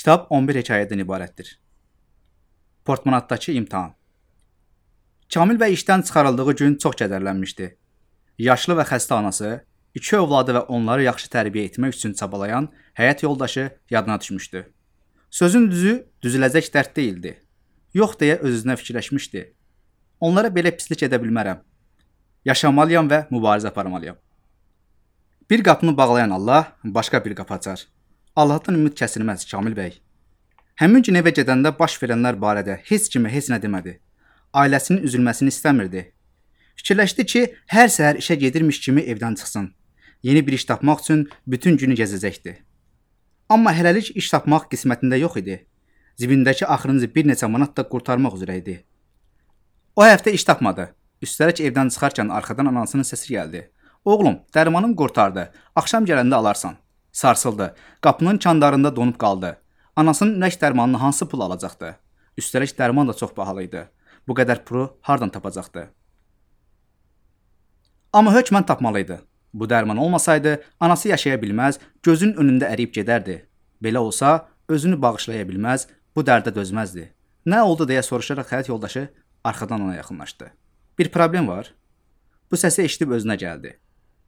Kitab 11 hekayədən ibarətdir. Portmanatdakı imtahan. Kamil bəy işdən çıxarıldığı gün çox kədərlənmişdi. Yaşlı və xəstə anası, 2 övladı və onları yaxşı tərbiyə etmək üçün çabalayan həyat yoldaşı yadına düşmüşdü. Sözün düzü, düzüləcək dərd deyildi. Yox deyə öz-özünə fikirləşmişdi. Onlara belə pislik edə bilmərəm. Yaşamalıyam və mübarizə aparmalıyam. Bir qapını bağlayan Allah başqa bir qapı açar. Allahdan ümid kəsilməz Kamil bəy. Həmin gün evə gedəndə baş verənlər barədə heç kimə heç nə demədi. Ailəsinin üzülməsini istəmirdi. Fikirləşdi ki, hər səhər işə gedirmiş kimi evdən çıxsın. Yeni bir iş tapmaq üçün bütün günü gəzəcəkdi. Amma hələlik iş tapmaq qismətində yox idi. Cibindəki axırıncı bir neçə manat da qurtarmaq üzrə idi. O həftə iş tapmadı. Üstəlik evdən çıxarkən arxadan anasının səsi gəldi. Oğlum, dərmanım qurtardı. Axşam gələndə alarsan. Sarsıldı. Qapının kandarında donub qaldı. Anasının ürək dərmanını hansı pul alacaqdı? Üstəlik dərman da çox bahalı idi. Bu qədər pulu hardan tapacaqdı? Amma hökmən tapmalıydı. Bu dərman olmasaydı, anası yaşaya bilməz, gözünün önündə əriyib gedərdi. Belə olsa, özünü bağışlaya bilməz, bu dərdə dözməzdi. Nə oldu deyə soruşaraq həyat yoldaşı arxadan ona yaxınlaşdı. Bir problem var. Bu səsi eşidib özünə gəldi.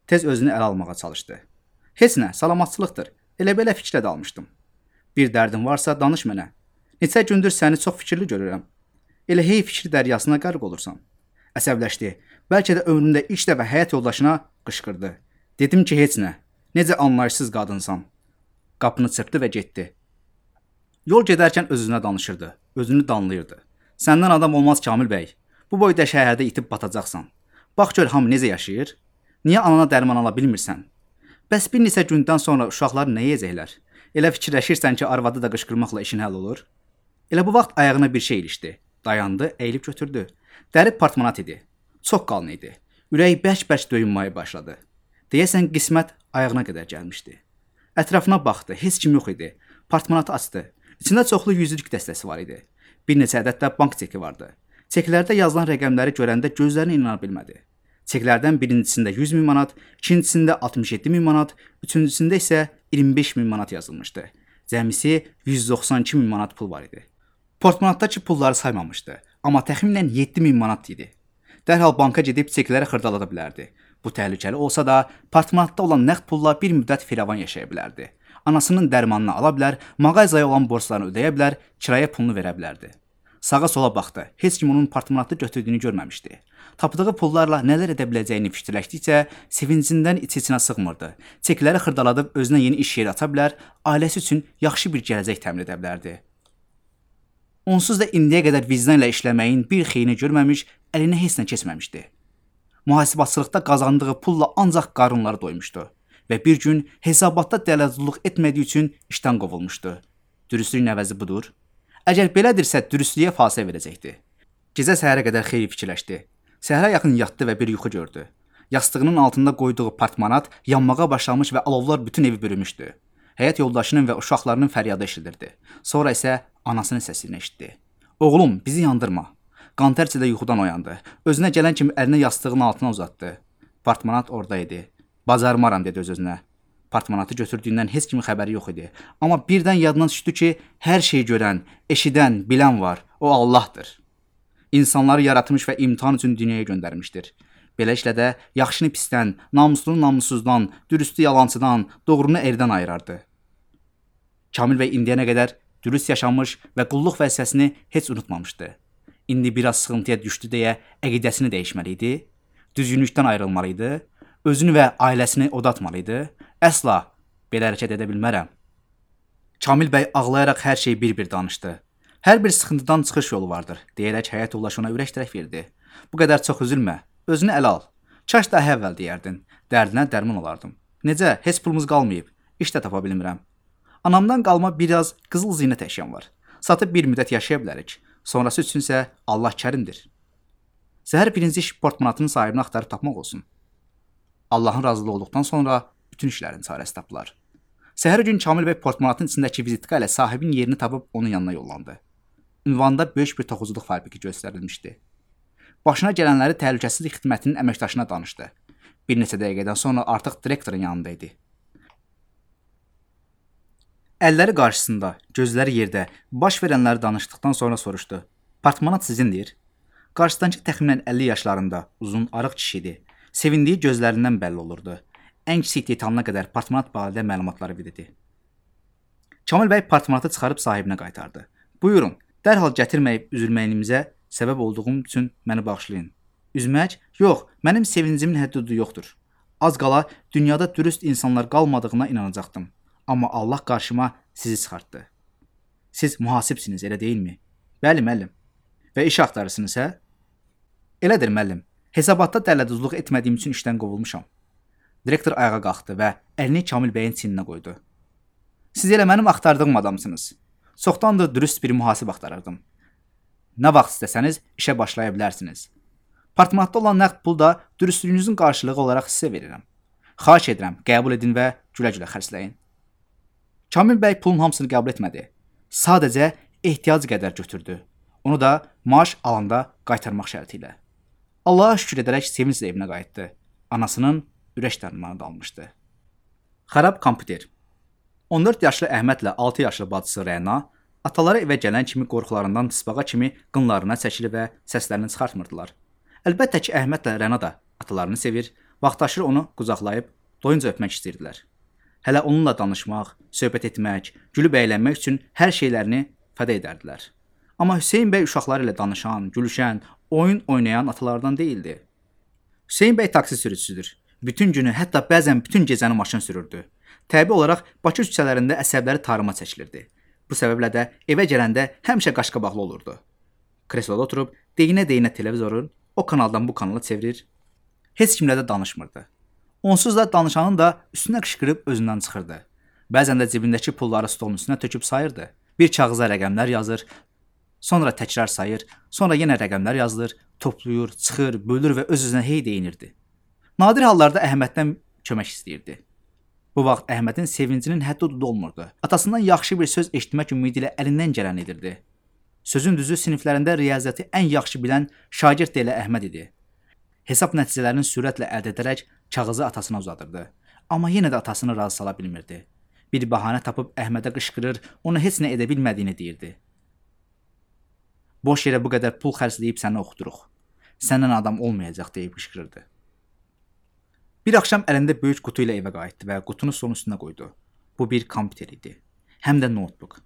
Tez özünü ələ almağa çalışdı. Heç nə, salamatçılıqdır. Elə belə fikrə dalmışdım. Bir dərdin varsa danış mənə. Neçə gündür səni çox fikirli görürəm. Elə hey fikir dəryasına qərq olursan. Əsəbləşdi. Bəlkə də ömründə ilk dəfə həyat yoldaşına qışqırdı. Dedim ki, heç nə. Necə anlayışsız qadınsan. Qapını çırpdı və getdi. Yol gedərkən öz-özünə danışırdı. Özünü danlayırdı. Səndən adam olmaz Kamil bəy. Bu boyda şəhərdə itib batacaqsan. Bax gör hamı necə yaşayır. Niyə anana dərman ala bilmirsən? Bəs bir neçə gündən sonra uşaqlar nə yeyəcəklər? Elə fikirləşirsən ki, arvadı da qışqırmaqla işin həll olur? Elə bu vaxt ayağına bir şey ilişdi. Dayandı, əyilib götürdü. Dəri portmanat idi. Çox qalın idi. Ürəyi bərk-bərk döyünməyə başladı. Deyəsən qismət ayağına qədər gəlmişdi. Ətrafına baxdı, heç kim yox idi. Portmanatı açdı. İçində çoxlu yüzlük dəstəsi var idi. Bir neçə ədəd də bank çeki vardı. Çeklərdə yazılan rəqəmləri görəndə gözlərinə inana bilmədi. Çeklərdən birincisində 100 min manat, ikincisində 67 min manat, üçüncüsündə isə 25 min manat yazılmışdı. Cəmisi 192 min manat pul var idi. Portmanatdakı pulları saymamışdı, amma təxminən 7 min manat idi. Dərhal banka gedib çekləri xırdalada bilərdi. Bu təhlükəli olsa da, portmanatda olan nəqd pulla bir müddət firavan yaşaya bilərdi. Anasının dərmanını ala bilər, mağazaya olan borclarını ödəyə bilər, kirayə pulunu verə bilərdi. Sağa sola baxdı. Heç kim onun portmanatı götürdüyünü görməmişdi. Tapdığı pullarla nələr edə biləcəyini fikirləşdikcə sevincindən içinə sığmırdı. Çekləri xırdaladıb özünə yeni iş yeri aça bilər, ailəsi üçün yaxşı bir gələcək təmin edə bilərdi. Onsuz da indiyə qədər vicdanla işləməyin bir xeyrini görməmiş, əlinə heç nə keçməmişdi. Mühasibatçılıqda qazandığı pulla ancaq qarınları doymuşdu və bir gün hesabatda dələduzluq etmədiyi üçün işdən qovulmuşdu. Dürüstlüyün əvəzi budur. Əgər belədirsə, dürüstlüyə fasilə verəcəkdi. Gecə səhərə qədər xeyli fikirləşdi. Səhərə yaxın yatdı və bir yuxu gördü. Yastığının altında qoyduğu portmanat yanmağa başlamış və alovlar bütün evi bürümüşdü. Həyat yoldaşının və uşaqlarının fəryadı eşidilirdi. Sonra isə anasının səsini eşitdi. Oğlum, bizi yandırma. Qantərçi də yuxudan oyandı. Özünə gələn kimi əlini yastığının altına uzatdı. Portmanat orada idi. Bacarmaram dedi öz-özünə. Portmanatı götürdüyündən heç kimin xəbəri yox idi. Amma birdən yadına düşdü ki, hər şeyi görən, eşidən, bilən var. O Allahdır. İnsanları yaratmış və imtahan üçün dünyaya göndərmişdir. Beləliklə də yaxşını pisdən, namuslunu namussuzdan, dürüstü yalancıdan, doğrunu erdən ayırardı. Kamil bəy indiyənə qədər dürüst yaşamış və qulluq vəzifəsini heç unutmamışdı. İndi biraz sıxıntıya düşdü deyə əqidəsini dəyişməli idi, düzgünlükdən ayrılmalı idi, özünü və ailəsini odatmalı. Əsla belə hərəkət edə bilmərəm. Kamil bəy ağlayaraq hər şeyi bir-bir danışdı. Hər bir sıxıntıdan çıxış yolu vardır, deyərək həyat yoldaşı ona ürək tərəf verdi. Bu qədər çox üzülmə, özünü ələ al. Kaş daha əvvəl deyərdin, dərdinə dərman olardım. Necə, heç pulumuz qalmayıb, iş də tapa bilmirəm. Anamdan qalma biraz qızıl zinət əşyam var. Satıb bir müddət yaşaya bilərik. Sonrası üçünsə Allah kərimdir. Səhər birinci iş portmanatının sahibini axtarıb tapmaq olsun. Allahın razılığı olduqdan sonra bütün işlərin çarəsi tapılar. Səhər gün Kamil bəy portmanatın içindəki vizitka ilə sahibin yerini tapıb onun yanına yollandı. Ünvanda böyük bir toxuculuq fabriki göstərilmişdi. Başına gələnləri təhlükəsizlik xidmətinin əməkdaşına danışdı. Bir neçə dəqiqədən sonra artıq direktorun yanında idi. Əlləri qarşısında, gözləri yerdə, baş verənləri danışdıqdan sonra soruşdu. Partmanat sizindir? Qarşıdakı təxminən 50 yaşlarında, uzun, arıq kişi idi. Sevindiyi gözlərindən bəlli olurdu. Ən kiçik detalına qədər partmanat barədə məlumatları verdi. Kamil bəy partmanatı çıxarıb sahibinə qaytardı. Buyurun, dərhal gətirməyib üzülməyinizə səbəb olduğum üçün məni bağışlayın. Üzmək? Yox, mənim sevincimin həddi yoxdur. Az qala dünyada dürüst insanlar qalmadığına inanacaqdım. Amma Allah qarşıma sizi çıxartdı. Siz mühasibsiniz, elə deyilmi? Bəli, müəllim. Və iş axtarırsınız, hə? Elədir, müəllim. Hesabatda dələduzluq etmədiyim üçün işdən qovulmuşam. Direktor ayağa qalxdı və əlini Kamil bəyin çiyninə qoydu. Siz elə mənim axtardığım adamsınız. Çoxdandır dürüst bir mühasib axtarırdım. Nə vaxt istəsəniz işə başlaya bilərsiniz. Partmanatda olan nəqd pul da dürüstlüyünüzün qarşılığı olaraq sizə verirəm. Xahiş edirəm, qəbul edin və gülə-gülə xərcləyin. Kamil bəy pulun hamısını qəbul etmədi. Sadəcə ehtiyac qədər götürdü. Onu da maaş alanda qaytarmaq şərti ilə. Allaha şükür edərək sevinclə evinə qayıtdı. Anasının ürək dərmanı da almışdı. Xarab kompüter. 14 yaşlı Əhmədlə 6 yaşlı bacısı Rəna ataları evə gələn kimi qorxularından tısbağa kimi qınlarına çəkilir və səslərini çıxartmırdılar. Əlbəttə ki, Əhmədlə Rəna da atalarını sevir, vaxtaşırı onu qucaqlayıb doyunca öpmək istəyirdilər. Hələ onunla danışmaq, söhbət etmək, gülüb əylənmək üçün hər şeylərini fəda edərdilər. Amma Hüseyn bəy uşaqları ilə danışan, gülüşən, oyun oynayan atalardan deyildi. Hüseyn bəy taksi sürücüsüdür. Bütün günü, hətta bəzən bütün gecəni maşın sürürdü. Təbii olaraq Bakı küçələrində əsəbləri tarıma çəkilirdi. Bu səbəblə də evə gələndə həmişə qaşqabaqlı olurdu. Kresloda oturub deyinə-deyinə televizorun o kanaldan bu kanala çevirir, heç kimlə də danışmırdı. Onsuz da danışanın da üstünə qışqırıb özündən çıxırdı. Bəzən də cibindəki pulları stolun üstünə töküb sayırdı. Bir kağıza rəqəmlər yazır, sonra təkrar sayır, sonra yenə rəqəmlər yazılır, toplayır, çıxır, bölür və öz-özünə hey deyinirdi. Nadir hallarda Əhməddən kömək istəyirdi. Bu vaxt Əhmədin sevincinin həddi-hududu olmurdu. Atasından yaxşı bir söz eşitmək ümidi ilə əlindən gələn edirdi. Sözün düzü siniflərində riyaziyyatı ən yaxşı bilən şagird də elə Əhməd idi. Hesab nəticələrini sürətlə əldə edərək kağızı atasına uzadırdı. Amma yenə də atasını razı sala bilmirdi. Bir bəhanə tapıb Əhmədə qışqırır, ona heç nə edə bilmədiyini deyirdi. Boş yerə bu qədər pul xərcləyib səni oxuduruq. Səndən adam olmayacaq deyib qışqırırdı. Bir axşam əlində böyük qutu ilə evə qayıtdı və qutunu stolun üstünə qoydu. Bu bir kompüter idi. Həm də notebook.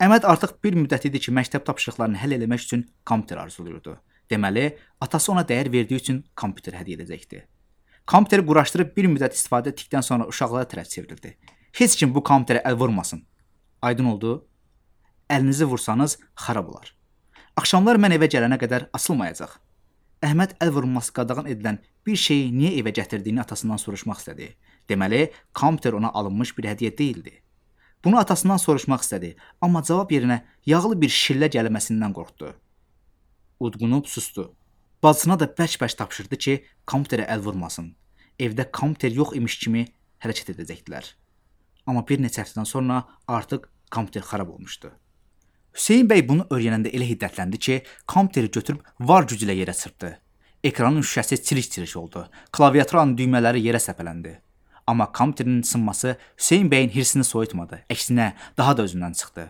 Əhməd artıq bir müddət idi ki, məktəb tapşırıqlarını həll etmək üçün kompüter arzulayırdı. Deməli, atası ona dəyər verdiyi üçün kompüter hədiyyə edəcəkdi. Kompüteri quraşdırıb bir müddət istifadə etdikdən sonra uşaqlara tərəf çevrildi. Heç kim bu kompüterə əl vurmasın. Aydın oldu? Əlinizi vursanız xarab olar. Axşamlar mən evə gələnə qədər açılmayacaq. Əhməd əl vurulması qadağan edilən bir şeyi niyə evə gətirdiyini atasından soruşmaq istədi. Deməli, kompüter ona alınmış bir hədiyyə deyildi. Bunu atasından soruşmaq istədi, amma cavab yerinə yağlı bir şillə gəlməsindən qorxdu. Udqunub sustu. Bacısına da bərk-bərk tapşırdı ki, kompüterə əl vurmasın. Evdə kompüter yox imiş kimi hərəkət edəcəkdilər. Amma bir neçə həftədən sonra artıq kompüter xarab olmuşdu. Hüseyn bəy bunu öyrənəndə elə hiddətləndi ki, kompüteri götürüb var gücü ilə yerə çırpdı. Ekranın şüşəsi çilik-çilik oldu. Klaviaturanın düymələri yerə səpələndi. Amma kompüterin sınması Hüseyn bəyin hirsini soyutmadı. Əksinə, daha da özündən çıxdı.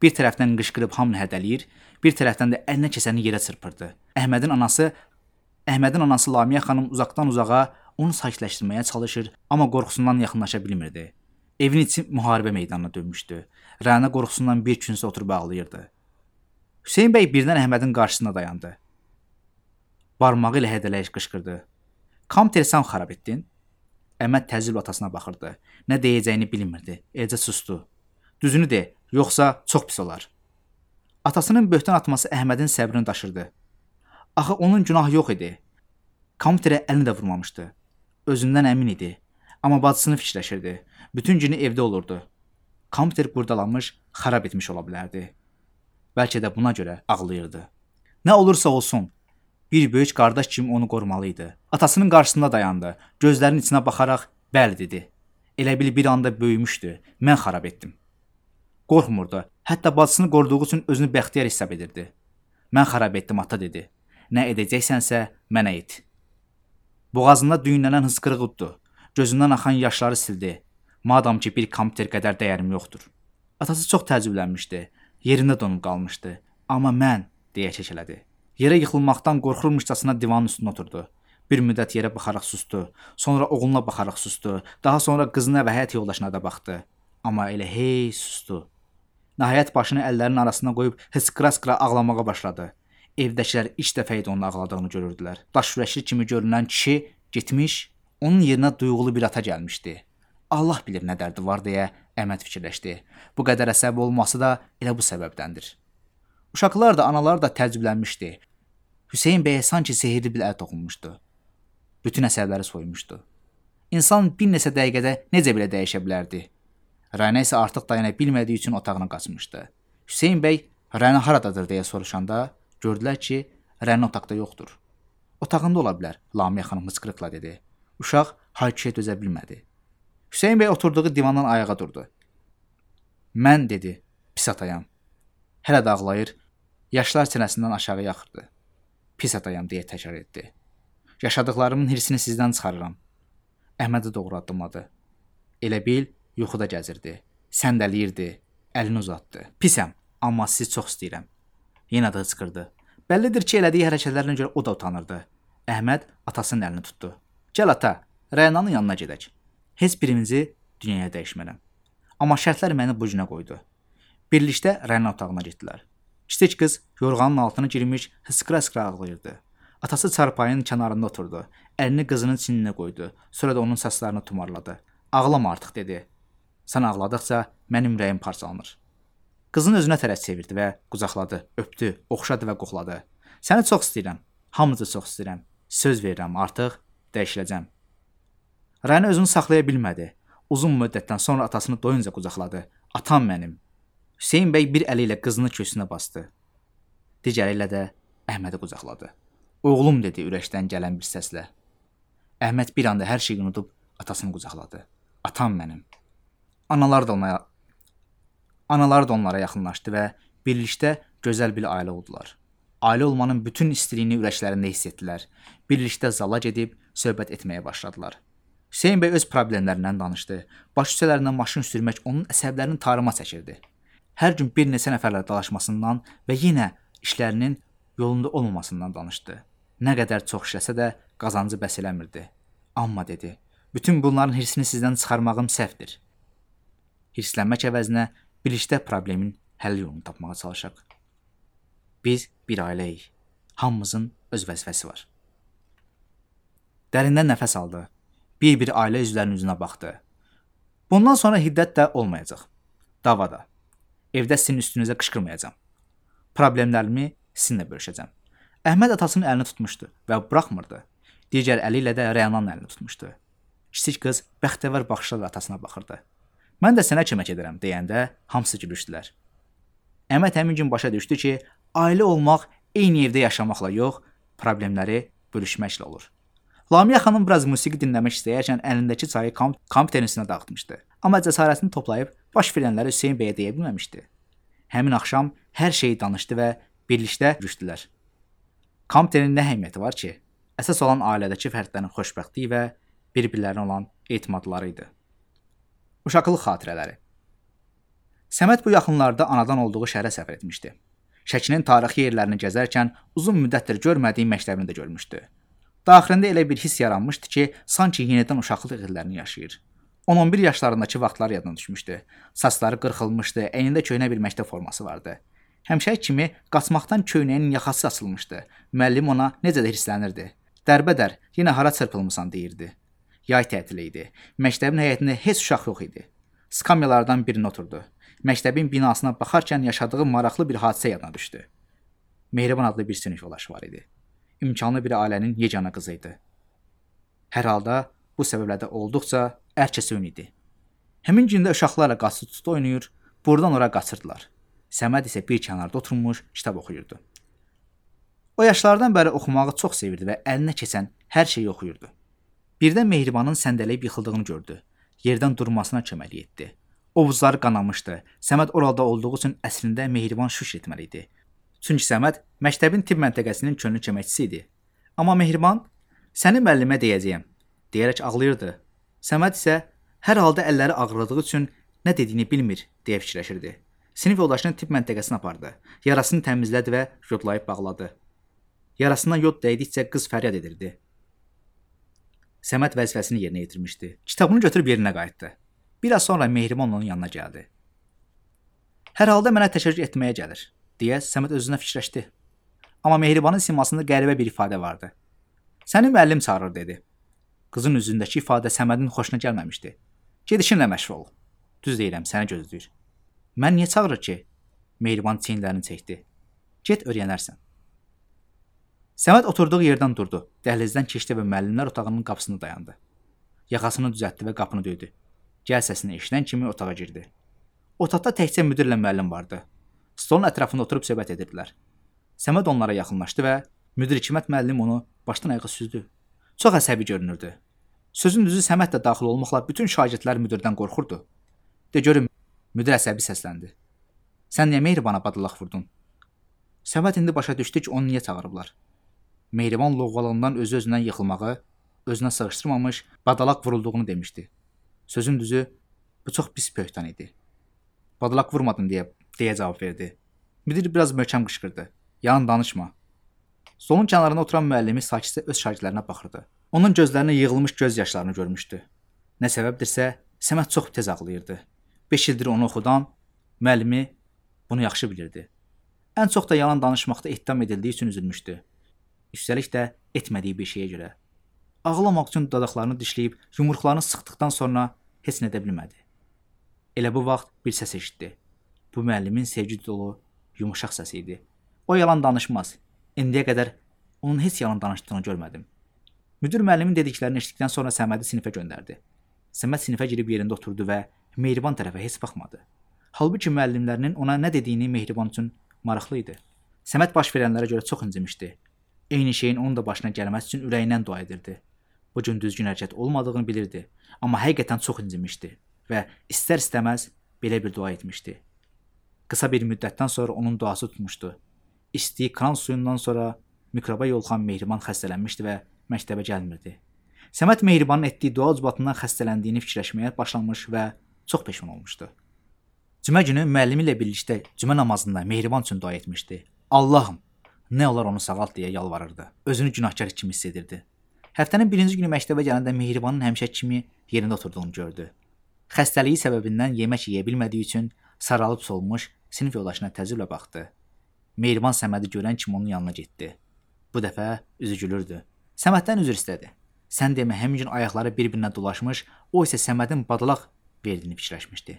Bir tərəfdən qışqırıb hamını hədələyir, bir tərəfdən də əlinə keçəni yerə çırpırdı. Əhmədin anası Lamiyə xanım uzaqdan uzağa onu sakitləşdirməyə çalışır, amma qorxusundan yaxınlaşa bilmirdi. Evin içi müharibə meydanına dönmüşdü. Rəna qorxusundan bir küncə oturub ağlayırdı. Hüseyn bəy birdən Əhmədin qarşısında dayandı. Barmağı ilə hədələyib qışqırdı. Kompüteri sən xarab etdin? Əhməd təəccüblə atasına baxırdı. Nə deyəcəyini bilmirdi. Eləcə sustu. Düzünü de, yoxsa çox pis olar. Atasının böhtan atması Əhmədin səbrini daşırdı. Axı onun günahı yox idi. Kompüterə əlini də vurmamışdı. Özündən əmin idi. Amma bacısını fikirləşirdi. Bütün günü evdə olurdu. Kompüter qurdalanmış, xarab etmiş ola bilərdi. Bəlkə də buna görə ağlayırdı. Nə olursa olsun, bir böyük qardaş kimi onu qorumalıydı. Atasının qarşısında dayandı. Gözlərinin içinə baxaraq bəli dedi. Elə bil bir anda böyümüşdü. Mən xarab etdim. Qorxmurdu. Hətta bacısını qoruduğu üçün özünü bəxtiyar hesab edirdi. Mən xarab etdim, ata dedi. Nə edəcəksənsə mənə et. Boğazında düyünlənən hıçqırıq uddu. Gözündən axan yaşları sildi. Madam ki bir kompüter qədər dəyərim yoxdur. Atası çox təəccüblənmişdi. Yerində donub qalmışdı. Amma mən, deyə kəkələdi. Yerə yıxılmaqdan qorxurmuşcasına divanın üstünə oturdu. Bir müddət yerə baxaraq susdu. Sonra oğluna baxaraq susdu. Daha sonra qızına və həyat yoldaşına da baxdı. Amma elə hey susdu. Nəhayət başını əllərinin arasına qoyub hıçqıra-hıçqıra ağlamağa başladı. Evdəkilər ilk dəfə idi onun ağladığını görürdülər. Daş ürəkli kimi görünən kişi getmiş, onun yerinə duyğulu bir ata gəlmişdi. Allah bilir nə dərdi var deyə Əhməd fikirləşdi. Bu qədər əsəbi olması da elə bu səbəbdəndir. Uşaqlar da, analar da təəccüblənmişdi. Hüseyn bəyə sanki sehirli bir əl toxunmuşdu. Bütün əsəbləri soymuşdu. İnsan bir neçə dəqiqədə necə belə dəyişə bilərdi? Rəna isə artıq dayana bilmədiyi üçün otağına qaçmışdı. Hüseyn bəy Rəna haradadır deyə soruşanda gördülər ki, Rəna otaqda yoxdur. Otağında ola bilər, Lamiyə xanım hıçqırıqla dedi. Uşaq hay-küyə dözə bilmədi. Hüseyn bəy oturduğu divandan ayağa durdu. Mən, dedi, pis atayam. Hələ də ağlayır, yaşlar sinəsindən aşağı yaxırdı. Pis atayam, deyə təkrar etdi. Yaşadıqlarımın hirsini sizdən çıxarıram. Əhmədi doğru addımladı. Elə bil, yuxuda gəzirdi. Səndəliyirdi, əlini uzatdı. Pisəm, amma sizi çox istəyirəm. Yenə də hıçqırdı. Bəllidir ki, elədiyi hərəkətlərinə görə o da utanırdı. Əhməd atasının əlini tutdu. Gəl ata, Rənanın yanına gedək. Heç birimizi dünyaya dəyişmərəm. Amma şərtlər məni bu günə qoydu. Birlikdə Rəna otağına getdilər. Kiçik qız yorğanın altına girmiş, hıçqıra-hıçqıra ağlayırdı. Atası çarpayının kənarında oturdu. Əlini qızının çininə qoydu. Sonra da onun saçlarını tumarladı. Ağlama artıq, dedi. Sən ağladıqca mənim ürəyim parçalanır. Qızın özünə tərəf çevirdi və qucaqladı, öpdü, oxşadı və qoxladı. Səni çox istəyirəm. Hamınızı çox istəyirəm. Söz verirəm, artıq dəyişiləcəm. Rəna özünü saxlaya bilmədi. Uzun müddətdən sonra atasını doyunca qucaqladı. Atam mənim. Hüseyn bəy bir əli ilə qızını köksünə bastı. Digər ilə də Əhmədi qucaqladı. Oğlum, dedi ürəkdən gələn bir səslə. Əhməd bir anda hər şeyi unudub atasını qucaqladı. Atam mənim. Analar da onlara yaxınlaşdı və birlikdə gözəl bir ailə oldular. Ailə olmanın bütün istiliyini ürəklərində hiss etdilər. Birlikdə zala gedib söhbət etməyə başladılar. Hüseyn bəy öz problemlərindən danışdı. Baş küçələrindən maşın sürmək onun əsəblərini tarıma çəkirdi. Hər gün bir neçə nəfərlə dalaşmasından və yenə işlərinin yolunda olmamasından danışdı. Nə qədər çox işləsə də qazancı bəs eləmirdi. Amma, dedi, bütün bunların hirsini sizdən çıxarmağım səhvdir. Hirslənmək əvəzinə birlikdə problemin həll yolunu tapmağa çalışaq. Biz bir ailəyik. Hamımızın öz vəzifəsi var. Dərindən nəfəs aldı. Bir-bir ailə üzvlərinin üzünə baxdı. Bundan sonra hiddət də olmayacaq. Davada. Evdə sizin üstünüzə qışqırmayacağam. Problemlərimi sizinlə bölüşəcəm. Əhməd atasının əlini tutmuşdu və buraxmırdı. Digər əli ilə də Rənanın əlini tutmuşdu. Kiçik qız bəxtəvər baxışlarla atasına baxırdı. Mən də sənə kömək edərəm, deyəndə hamısı gülüşdülər. Əhməd həmin gün başa düşdü ki, ailə olmaq eyni evdə yaşamaqla yox, problemləri bölüşməklə olur. Lamiyə xanım biraz musiqi dinləmək istəyərkən əlindəki çayı kompüterin üstünə dağıtmışdı. Amma cəsarətini toplayıb baş verənləri Hüseyn bəyə deyə bilməmişdi. Həmin axşam hər şeyi danışdı və birlikdə gülüşdülər. Kompüterin nə əhəmiyyəti var ki? Əsas olan ailədəki fərdlərin xoşbəxtliyi və bir-birlərinə olan etimadları idi. Uşaqlıq xatirələri. Səməd bu yaxınlarda anadan olduğu şəhərə səfər etmişdi. Şəkinin tarixi yerlərini gəzərkən uzun müddətdir görmədiyi məktəbini də görmüşdü. Daxilində elə bir hiss yaranmışdı ki, sanki yenidən uşaqlıq illərini yaşayır. 10-11 yaşlarındakı vaxtlar yadına düşmüşdü. Saçları qırxılmışdı, əynində köhnə bir məktəb forması vardı. Həmişəki kimi qaçmaqdan köynəyinin yaxası açılmışdı. Müəllim ona necə də hirslənirdi. Dərbədər, yenə hara çırpılmısan, deyirdi. Yay tətili idi. Məktəbin həyətində heç uşaq yox idi. Skamyalardan birinə oturdu. Məktəbin binasına baxarkən yaşadığı maraqlı bir hadisə yadına düşdü. Mehriban adlı bir sinif yoldaşı var idi. İmkanlı bir ailənin yeganə qızı idi. Hər halda bu səbəblərdə olduqca ərkəsön idi. Həmin gündə uşaqlarla qaçı-tutdu oynayır, buradan ora qaçırdılar. Səməd isə bir kənarda oturmuş kitab oxuyurdu. O yaşlardan bəri oxumağı çox sevirdi və əlinə keçən hər şeyi oxuyurdu. Birdən Mehribanın səndələyib yıxıldığını gördü. Yerdən durmasına kömək etdi. Ovuzları qanamışdı. Səməd orada olduğu üçün əslində Mehriban şükür etməli idi. Çünki Səməd məktəbin tibb məntəqəsinin könüllü köməkçisi idi. Amma Mehriban, səni müəllimə deyəcəyəm, deyərək ağlayırdı. Səməd isə hər halda əlləri ağrıdığı üçün Nə dediyini bilmir deyə fikirləşirdi. Sinif yoldaşını tibb məntəqəsinə apardı. Yarasını təmizlədi və yodlayıb bağladı. Yarasına yod dəydikcə qız fəryad edirdi. Səməd vəzifəsini yerinə yetirmişdi. Kitabını götürüb yerinə qayıtdı. Bir az sonra Mehriban onun yanına gəldi. Hər halda mənə təşəkkür etməyə gəlir, deyə Səməd özünə fikirləşdi. Amma Mehribanın simasında qəribə bir ifadə vardı. Səni müəllim çağırır, dedi. Qızın üzündəki ifadə Səmədin xoşuna gəlməmişdi. Gedişinlə məşğul ol. Düz deyirəm, səni gözləyir. Mən niyə çağırır ki? Mehriban çiyinlərini çəkdi. Get öyrənərsən. Səməd oturduğu yerdən durdu. Dəhlizdən keçdi və müəllimlər otağının qapısında dayandı. Yaxasını düzəltdi və qapını döydü. Gəl səsini eşidən kimi otağa girdi. Otaqda təkcə müdirlə müəllim vardı. Stolun ətrafında oturub söhbət edirdilər. Səməd onlara yaxınlaşdı və müdir Hikmət müəllim onu başdan ayağa süzdü. Çox əsəbi görünürdü. Sözün düzü Səməd də daxil olmaqla bütün şagirdlər müdirdən qorxurdu. De görüm, müdir əsəbi səsləndi. Sən niyə Mehribana badalaq vurdun? Səməd indi başa düşdü ki, onu niyə çağırıblar. Mehriban lovğalığından özü-özündən yıxılmağı, özünə sığışdırmamış, badalaq vurulduğunu demişdi. Sözün düzü, bu çox pis pöhtan idi. Badalaq vurmadın deyə cavab verdi. Müdir biraz möhkəm qışqırdı. Yalan danışma. Stolun kənarında oturan müəllimi sakitcə öz şagirdlərinə baxırdı. Onun gözlərinə yığılmış göz yaşlarını görmüşdü. Nə səbəbdirsə, Səməd çox tez ağlayırdı. 5 ildir onu oxudan müəllimi bunu yaxşı bilirdi. Ən çox da yalan danışmaqda ittiham edildiyi üçün üzülmüşdü. Üstəlik də etmədiyi bir şeyə görə. Ağlamaq üçün dodaqlarını dişləyib yumruqlarını sıxdıqdan sonra heç nə edə bilmədi. Elə bu vaxt bir səs eşitdi. Bu müəllimin sevgi dolu, yumuşaq səsi idi. O yalan danışmaz. İndiyə qədər onun heç yalan danışdığını görmədim. Müdir müəllimin dediklərini eşitdikdən sonra Səmədi sinifə göndərdi. Səməd sinifə girib yerində oturdu və Mehriban tərəfə heç baxmadı. Halbuki müəllimlərinin ona nə dediyini Mehriban üçün maraqlı idi. Səməd baş verənlərə görə çox incimişdi. Eyni şeyin onun da başına gəlməsi üçün ürəyindən dua edirdi. Bu gün düzgün hərəkət olmadığını bilirdi, amma həqiqətən çox incimişdi və istər-istəməz belə bir dua etmişdi. Qısa bir müddətdən sonra onun duası tutmuşdu. İçdiyi kran suyundan sonra mikroba yoluxan Mehriban xəstələnmişdi və məktəbə gəlmirdi. Səməd Mehribanın etdiyi dua ucbatından xəstələndiyini fikirləşməyə başlamış və çox peşman olmuşdu. Cümə günü müəllimi ilə birlikdə cümə namazında Mehriban üçün dua etmişdi. Allahım, nə olar onu sağalt deyə yalvarırdı. Özünü günahkar kimi hiss edirdi. Həftənin birinci günü məktəbə gələndə Mehribanın həmişə kimi yerində oturduğunu gördü. Xəstəliyi səbəbindən yemək yeyə bilmədiyi üçün saralıb solmuş sinif yoldaşına təəccüblə baxdı. Mehriban Səmədi görən kimi onun yanına getdi. Bu dəfə üzü gülürdü. Səməddən üzr istədi. Sən demə, həmin gün ayaqları bir-birinə dolaşmış, o isə Səmədin badalaq verdiyini fikirləşmişdi.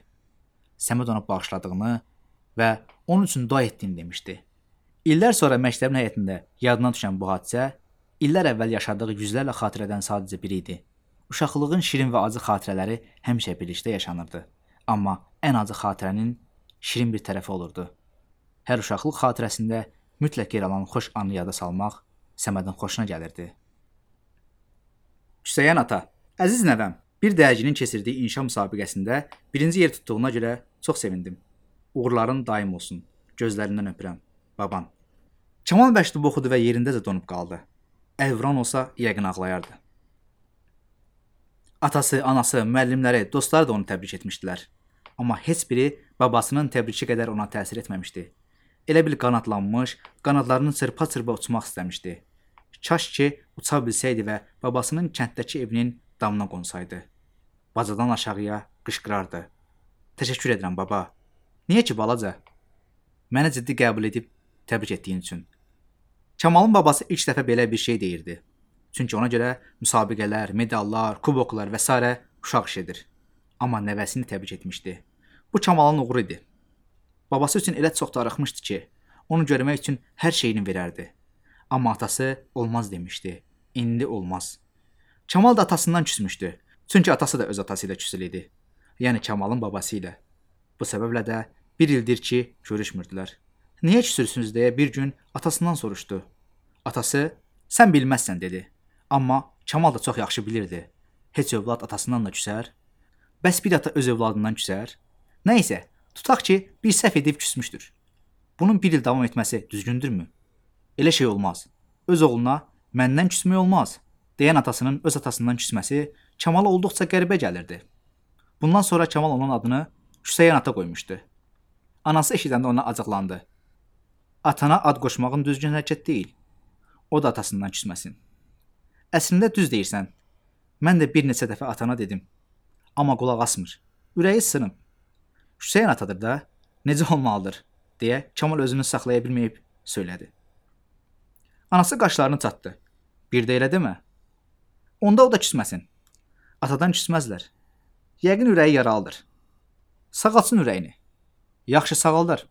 Səməd ona bağışladığını və onun üçün dua etdiyini demişdi. İllər sonra məktəbin həyətində yadına düşən bu hadisə illər əvvəl yaşadığı yüzlərlə xatirədən sadəcə biri idi. Uşaqlığın şirin və acı xatirələri həmişə birlikdə yaşanırdı. Amma ən acı xatirənin şirin bir tərəfi olurdu. Hər uşaqlıq xatirəsində mütləq yer alan xoş anı yada salmaq Səmədin xoşuna gəlirdi. Hüseyn ata, əziz nəvəm, bir dərginin keçirdiyi inşa müsabiqəsində birinci yer tutduğuna görə çox sevindim. Uğurların daim olsun. Gözlərindən öpürəm. Baban. Kamal məktub oxudu və yerindəcə donub qaldı. Əlvran olsa yəqin ağlayardı. Atası, anası, müəllimləri, dostları da onu təbrik etmişdilər. Amma heç biri babasının təbriki qədər ona təsir etməmişdi. Elə bil qanadlanmış, qanadlarını çırpa-çırpa uçmaq istəmişdi. Kaş ki, uça bilsəydi və babasının kənddəki evinin damına qonsaydı. Bacadan aşağıya qışqırardı. Təşəkkür edirəm baba. Niyə ki balaca? Məni ciddi qəbul edib təbrik etdiyin üçün. Kamalın babası ilk dəfə belə bir şey deyirdi. Çünki ona görə müsabiqələr, medallar, kuboklar və s. uşaq işidir. Amma nəvəsini təbrik etmişdi. Bu Kamalın uğuru idi. Babası üçün elə çox darıxmışdı ki, onu görmək üçün hər şeyini verərdi. Amma atası olmaz demişdi. İndi olmaz. Kamal da atasından küsmüşdü. Çünki atası da öz atası ilə küsül idi. Yəni Kamalın babası ilə. Bu səbəblə də bir ildir ki, görüşmürdülər. Niyə küsürsünüz deyə bir gün atasından soruşdu. Atası, sən bilməzsən dedi. Amma Kamal da çox yaxşı bilirdi. Heç övlad atasından da küsər. Bəs bir ata öz övladından küsər? Nəysə, tutaq ki, bir səhv edib küsmüşdür. Bunun bir il davam etməsi düzgündürmü? Elə şey olmaz. Öz oğluna məndən küsmək olmaz deyən atasının öz atasından küsməsi Kamala olduqca qəribə gəlirdi. Bundan sonra Kamal onun adını Hüseyn ata qoymuşdu. Anası eşidəndə ona acıqlandı. Atana ad qoşmağın düzgün hərəkət deyil. O da atasından küsməsin. Əslində düz deyirsən. Mən də bir neçə dəfə atana dedim. Amma qulaq asmır. Ürəyi sınıb. Hüseyn atadır da, necə olmalıdır, deyə Kamal özünü saxlaya bilməyib söylədi. Anası qaşlarını çatdı. Bir də elə demə. Onda o da küsməsin. Atadan küsməzlər. Yəqin ürəyi yaralıdır. Sağalsın ürəyini. Yaxşı sağaldar.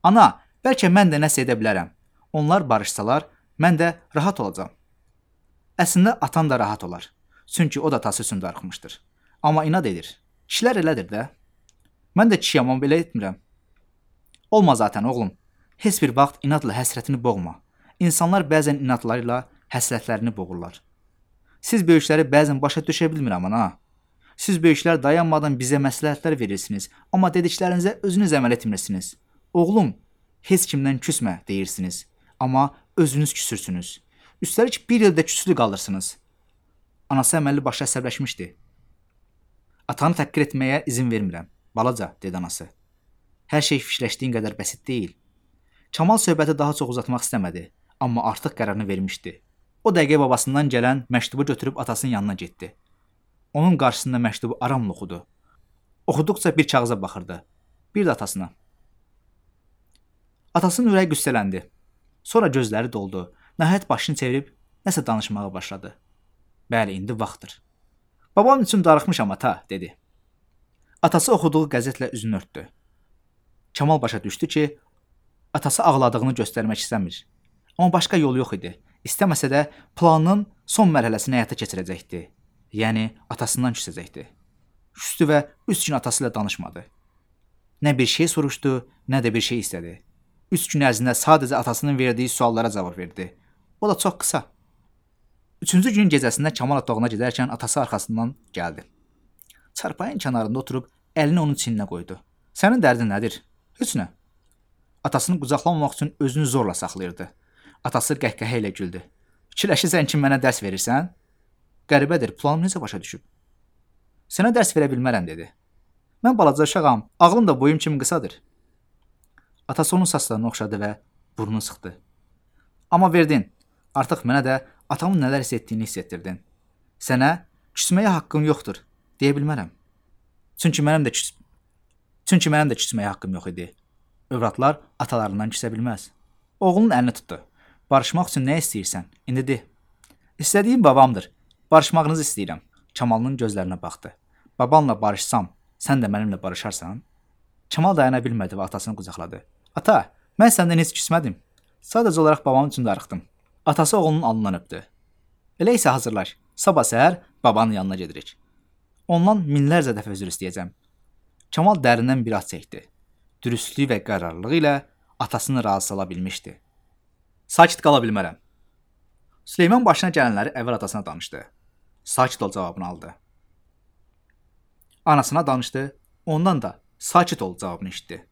Ana, bəlkə mən də nəsə edə bilərəm. Onlar barışsalar, mən də rahat olacağam. Əslində atan da rahat olar. Çünki o da atası üçün darıxmışdır. Amma inad edir. Kişilər elədir də. Mən də kişiyəm, amma belə etmirəm. Olma zaten oğlum. Heç bir vaxt inadla həsrətini boğma. İnsanlar bəzən inadlarıyla həsrətlərini boğurlar. Siz böyükləri bəzən başa düşə bilmirəm ana. Siz böyüklər dayanmadan bizə məsləhətlər verirsiniz, amma dediklərinizə özünüz əməl etmirsiniz. Oğlum, heç kimdən küsmə deyirsiniz, amma özünüz küsürsünüz. Üstəlik bir ildə küslü qalırsınız. Anası əməlli başa əsəbləşmişdi. Atanı təhqir etməyə izin vermirəm, balaca, dedi anası. Hər şey fikirləşdiyin qədər bəsit deyil. Kamal söhbəti daha çox uzatmaq istəmədi, amma artıq qərarını vermişdi. O dəqiqə babasından gələn məktubu götürüb atasının yanına getdi. Onun qarşısında məktubu aramla oxudu. Oxuduqca bir kağıza baxırdı. Bir də atasına. Atasının ürəyi qüssələndi. Sonra gözləri doldu. Nəhayət başını çevirib nəsə danışmağa başladı. Bəli, indi vaxtdır. Babam üçün darıxmışam ata, dedi. Atası oxuduğu qəzetlə üzünü örtdü. Kamal başa düşdü ki, atası ağladığını göstərmək istəmir. Amma başqa yol yox idi. İstəməsə də planının son mərhələsini həyata keçirəcəkdi. Yəni, atasından küsəcəkdi. Küstü və 3 gün atası ilə danışmadı. Nə bir şey soruşdu, nə də bir şey istədi. 3 gün ərzində sadəcə atasının verdiyi suallara cavab verdi. O da çox qısa. 3-cü günün gecəsində Kamal otağına gedərkən atası arxasından gəldi. Çarpayın kənarında oturub əlini onun çiyninə qoydu. Sənin dərdin nədir? Heç nə. Atasını qucaqlamamaq üçün özünü zorla saxlayırdı. Atası qəhqəhə ilə güldü. Fikirləşirsən ki, mənə dərs verirsən? Qəribədir, planım necə başa düşüb? Sənə dərs verə bilmərəm, dedi. Mən balaca uşağam, ağlım da boyum kimi qısadır. Atası onun saçlarını oxşadı və burnunu sıxdı. Amma verdin, artıq mənə də atamın nələr hiss etdiyini hiss etdirdin. Sənə küsməyə haqqım yoxdur, deyə bilmərəm. Çünki mənim də küsməyə haqqım yox idi. Övladlar atalarından küsə bilməz. Oğlunun əlini tutdu. Barışmaq üçün nə istəyirsən? İndi de. İstədiyim babamdır. Barışmağınızı istəyirəm. Kamalın gözlərinə baxdı. Babanla barışsam, sən də mənimlə barışarsan? Kamal dayana bilmədi və atasını qucaqladı. Ata, mən səndən heç küsmədim. Sadəcə olaraq babam üçün darıxdım. Atası oğlunun alnından öpdü. Elə isə hazırlaş. Sabah səhər babanın yanına gedirik. Ondan minlərcə dəfə üzr istəyəcəm. Kamal dərindən bir ah çəkdi. Dürüstlüyü və qərarlılığı ilə atasını razı sala bilmişdi. Sakit qala bilmərəm. Süleyman başına gələnləri əvvəl atasına danışdı. Sakit ol cavabını aldı. Anasına danışdı, ondan da sakit ol cavabını eşitdi.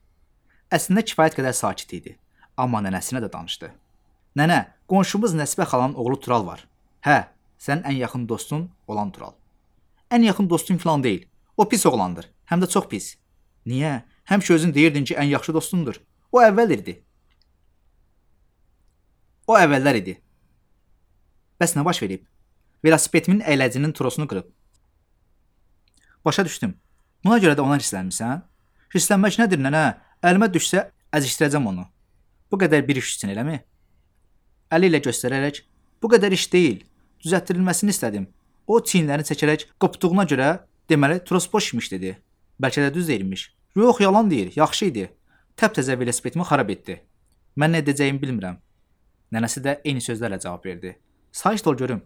Əslində kifayət qədər sakit idi, amma nənəsinə də danışdı. Nənə, qonşumuz Nəsibə xalanın oğlu Tural var. Hə, sənin ən yaxın dostun olan Tural. Ən yaxın dostun falan deyil, o pis oğlandır, həm də çox pis. Niyə? Həmişə özün deyirdin ki, ən yaxşı dostundur. O əvvəllər idi. Bəs nə baş verib? Velosipedimin əyləcinin trosunu qırıb. Başa düşdüm. Buna görə də ona hirslənmirsən? Hirslənmək nədir, nənə? Əlimə düşsə, əzişdirəcəm onu. Bu qədər bir iş üçün, eləmi? Əli ilə göstərərək, bu qədər iş deyil, düzəltdirilməsini istədim. O çiyinlərini çəkərək qopduğuna görə, deməli, tros boş imiş, dedi. Bəlkə də düz deyilmiş. Yox, yalan deyir, yaxşı idi. Təptəzə velosipedimi xarab etdi. Mən nə edəcəyimi bilmirəm. Nənəsi də eyni sözlərlə cavab verdi. Sakit ol görüm.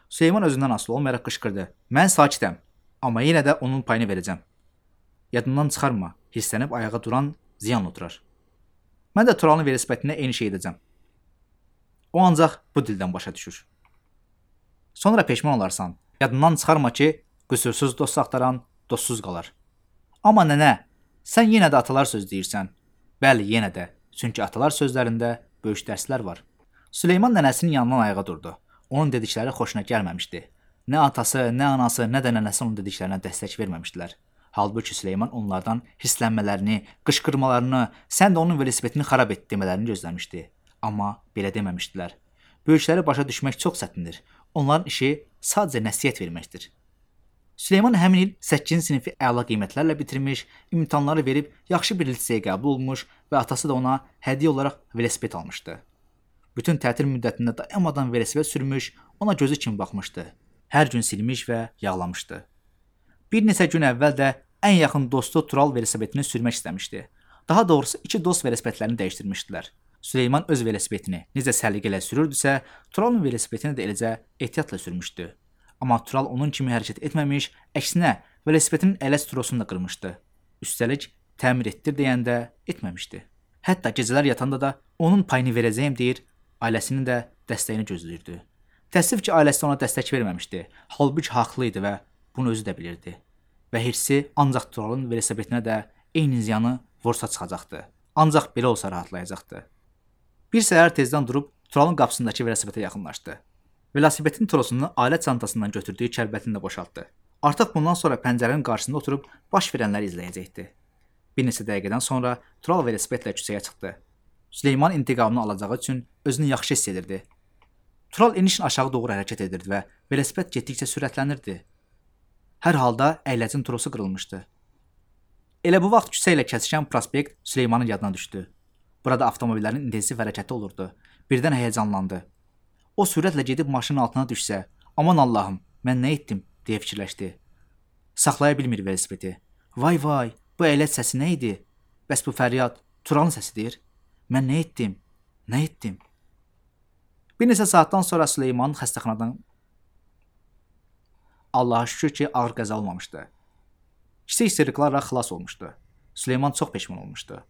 Süleyman özündən asılı olmayaraq qışqırdı. Mən sakitəm, amma yenə də onun payını verəcəm. Yadından çıxarma, hirslənib ayağa duran ziyan oturar. Mən də Turalın velosipedinə eyni şey edəcəm. O ancaq bu dildən başa düşür. Sonra peşman olarsan. Yadından çıxarma ki, qüsursuz dost axtaran dostsuz qalar. Amma nənə, sən yenə də atalar söz deyirsən. Bəli, yenə də. Çünki atalar sözlərində böyük dərslər var. Süleyman nənəsinin yanından ayağa durdu. Onun dedikləri xoşuna gəlməmişdi. Nə atası, nə anası, nə də nənəsi onun dediklərinə dəstək verməmişdilər. Halbuki Süleyman onlardan hirslənmələrini, qışqırmalarını, sən də onun velosipedini xarab et demələrini gözləmişdi. Amma belə deməmişdilər. Böyükləri başa düşmək çox çətindir. Onların işi sadəcə nəsihət verməkdir. Süleyman həmin il 8-ci sinifi əla qiymətlərlə bitirmiş, imtahanları verib yaxşı bir liseyə qəbul olmuş və atası da ona hədiyyə olaraq velosiped almışdı. Bütün tətil müddətində dayanmadan velosiped sürmüş, ona gözü kimi baxmışdı. Hər gün silmiş və yağlamışdı. Bir neçə gün əvvəl də ən yaxın dostu Tural velosipedini sürmək istəmişdi. Daha doğrusu iki dost velosipedlərini dəyişdirmişdilər. Süleyman öz velosipedini necə səliqə ilə sürürdüsə, Turalın velosipedini də eləcə ehtiyatla sürmüşdü. Amma Tural onun kimi hərəkət etməmiş, əksinə velosipedinin ələs trosunu da qırmışdı. Üstəlik təmir etdir deyəndə etməmişdi. Hətta gecələr yatanda da onun payını verəcəyim deyir, ailəsinin də dəstəyini gözləyirdi. Təəssüf ki, ailəsi ona dəstək verməmişdi. Halbuki haqlı idi və bunu özü də bilirdi. Və hirsi ancaq Turalın velosipedinə də eyni ziyanı vursa çıxacaqdı. Ancaq belə olsa rahatlayacaqdı. Bir səhər tezdən durub Turalın qapısındakı velosipedə yaxınlaşdı. Velosipedin trosunu ailə çantasından götürdüyü kəlbətini də boşaltdı. Artıq bundan sonra pəncərənin qarşısında oturub baş verənləri izləyəcəkdi. Bir neçə dəqiqədən sonra Tural velosipedlə küçəyə çıxdı. Süleyman intiqamını alacağı üçün özünü yaxşı hiss edirdi. Tural enişin aşağı doğru hərəkət edirdi və velosiped getdikcə sürətlənirdi. Hər halda əyləcin trosu qırılmışdı. Elə bu vaxt küçə ilə kəsişən prospekt Süleymanın yadına düşdü. Burada avtomobillərin intensiv hərəkəti olurdu. Birdən həyəcanlandı. O sürətlə gedib maşının altına düşsə, aman Allahım, mən nə etdim, deyə fikirləşdi. Saxlaya bilmir velosipedi. Vay vay, bu əyləc səsi nə idi? Bəs bu fəryad Turalın səsidir? Mən nə etdim? Nə etdim? Bir neçə saatdan sonra Süleyman xəstəxanadan Allaha şükür ki, ağır qəza olmamışdı. Kiçik istiriklarla xilas olmuşdu. Süleyman çox peşman olmuşdu.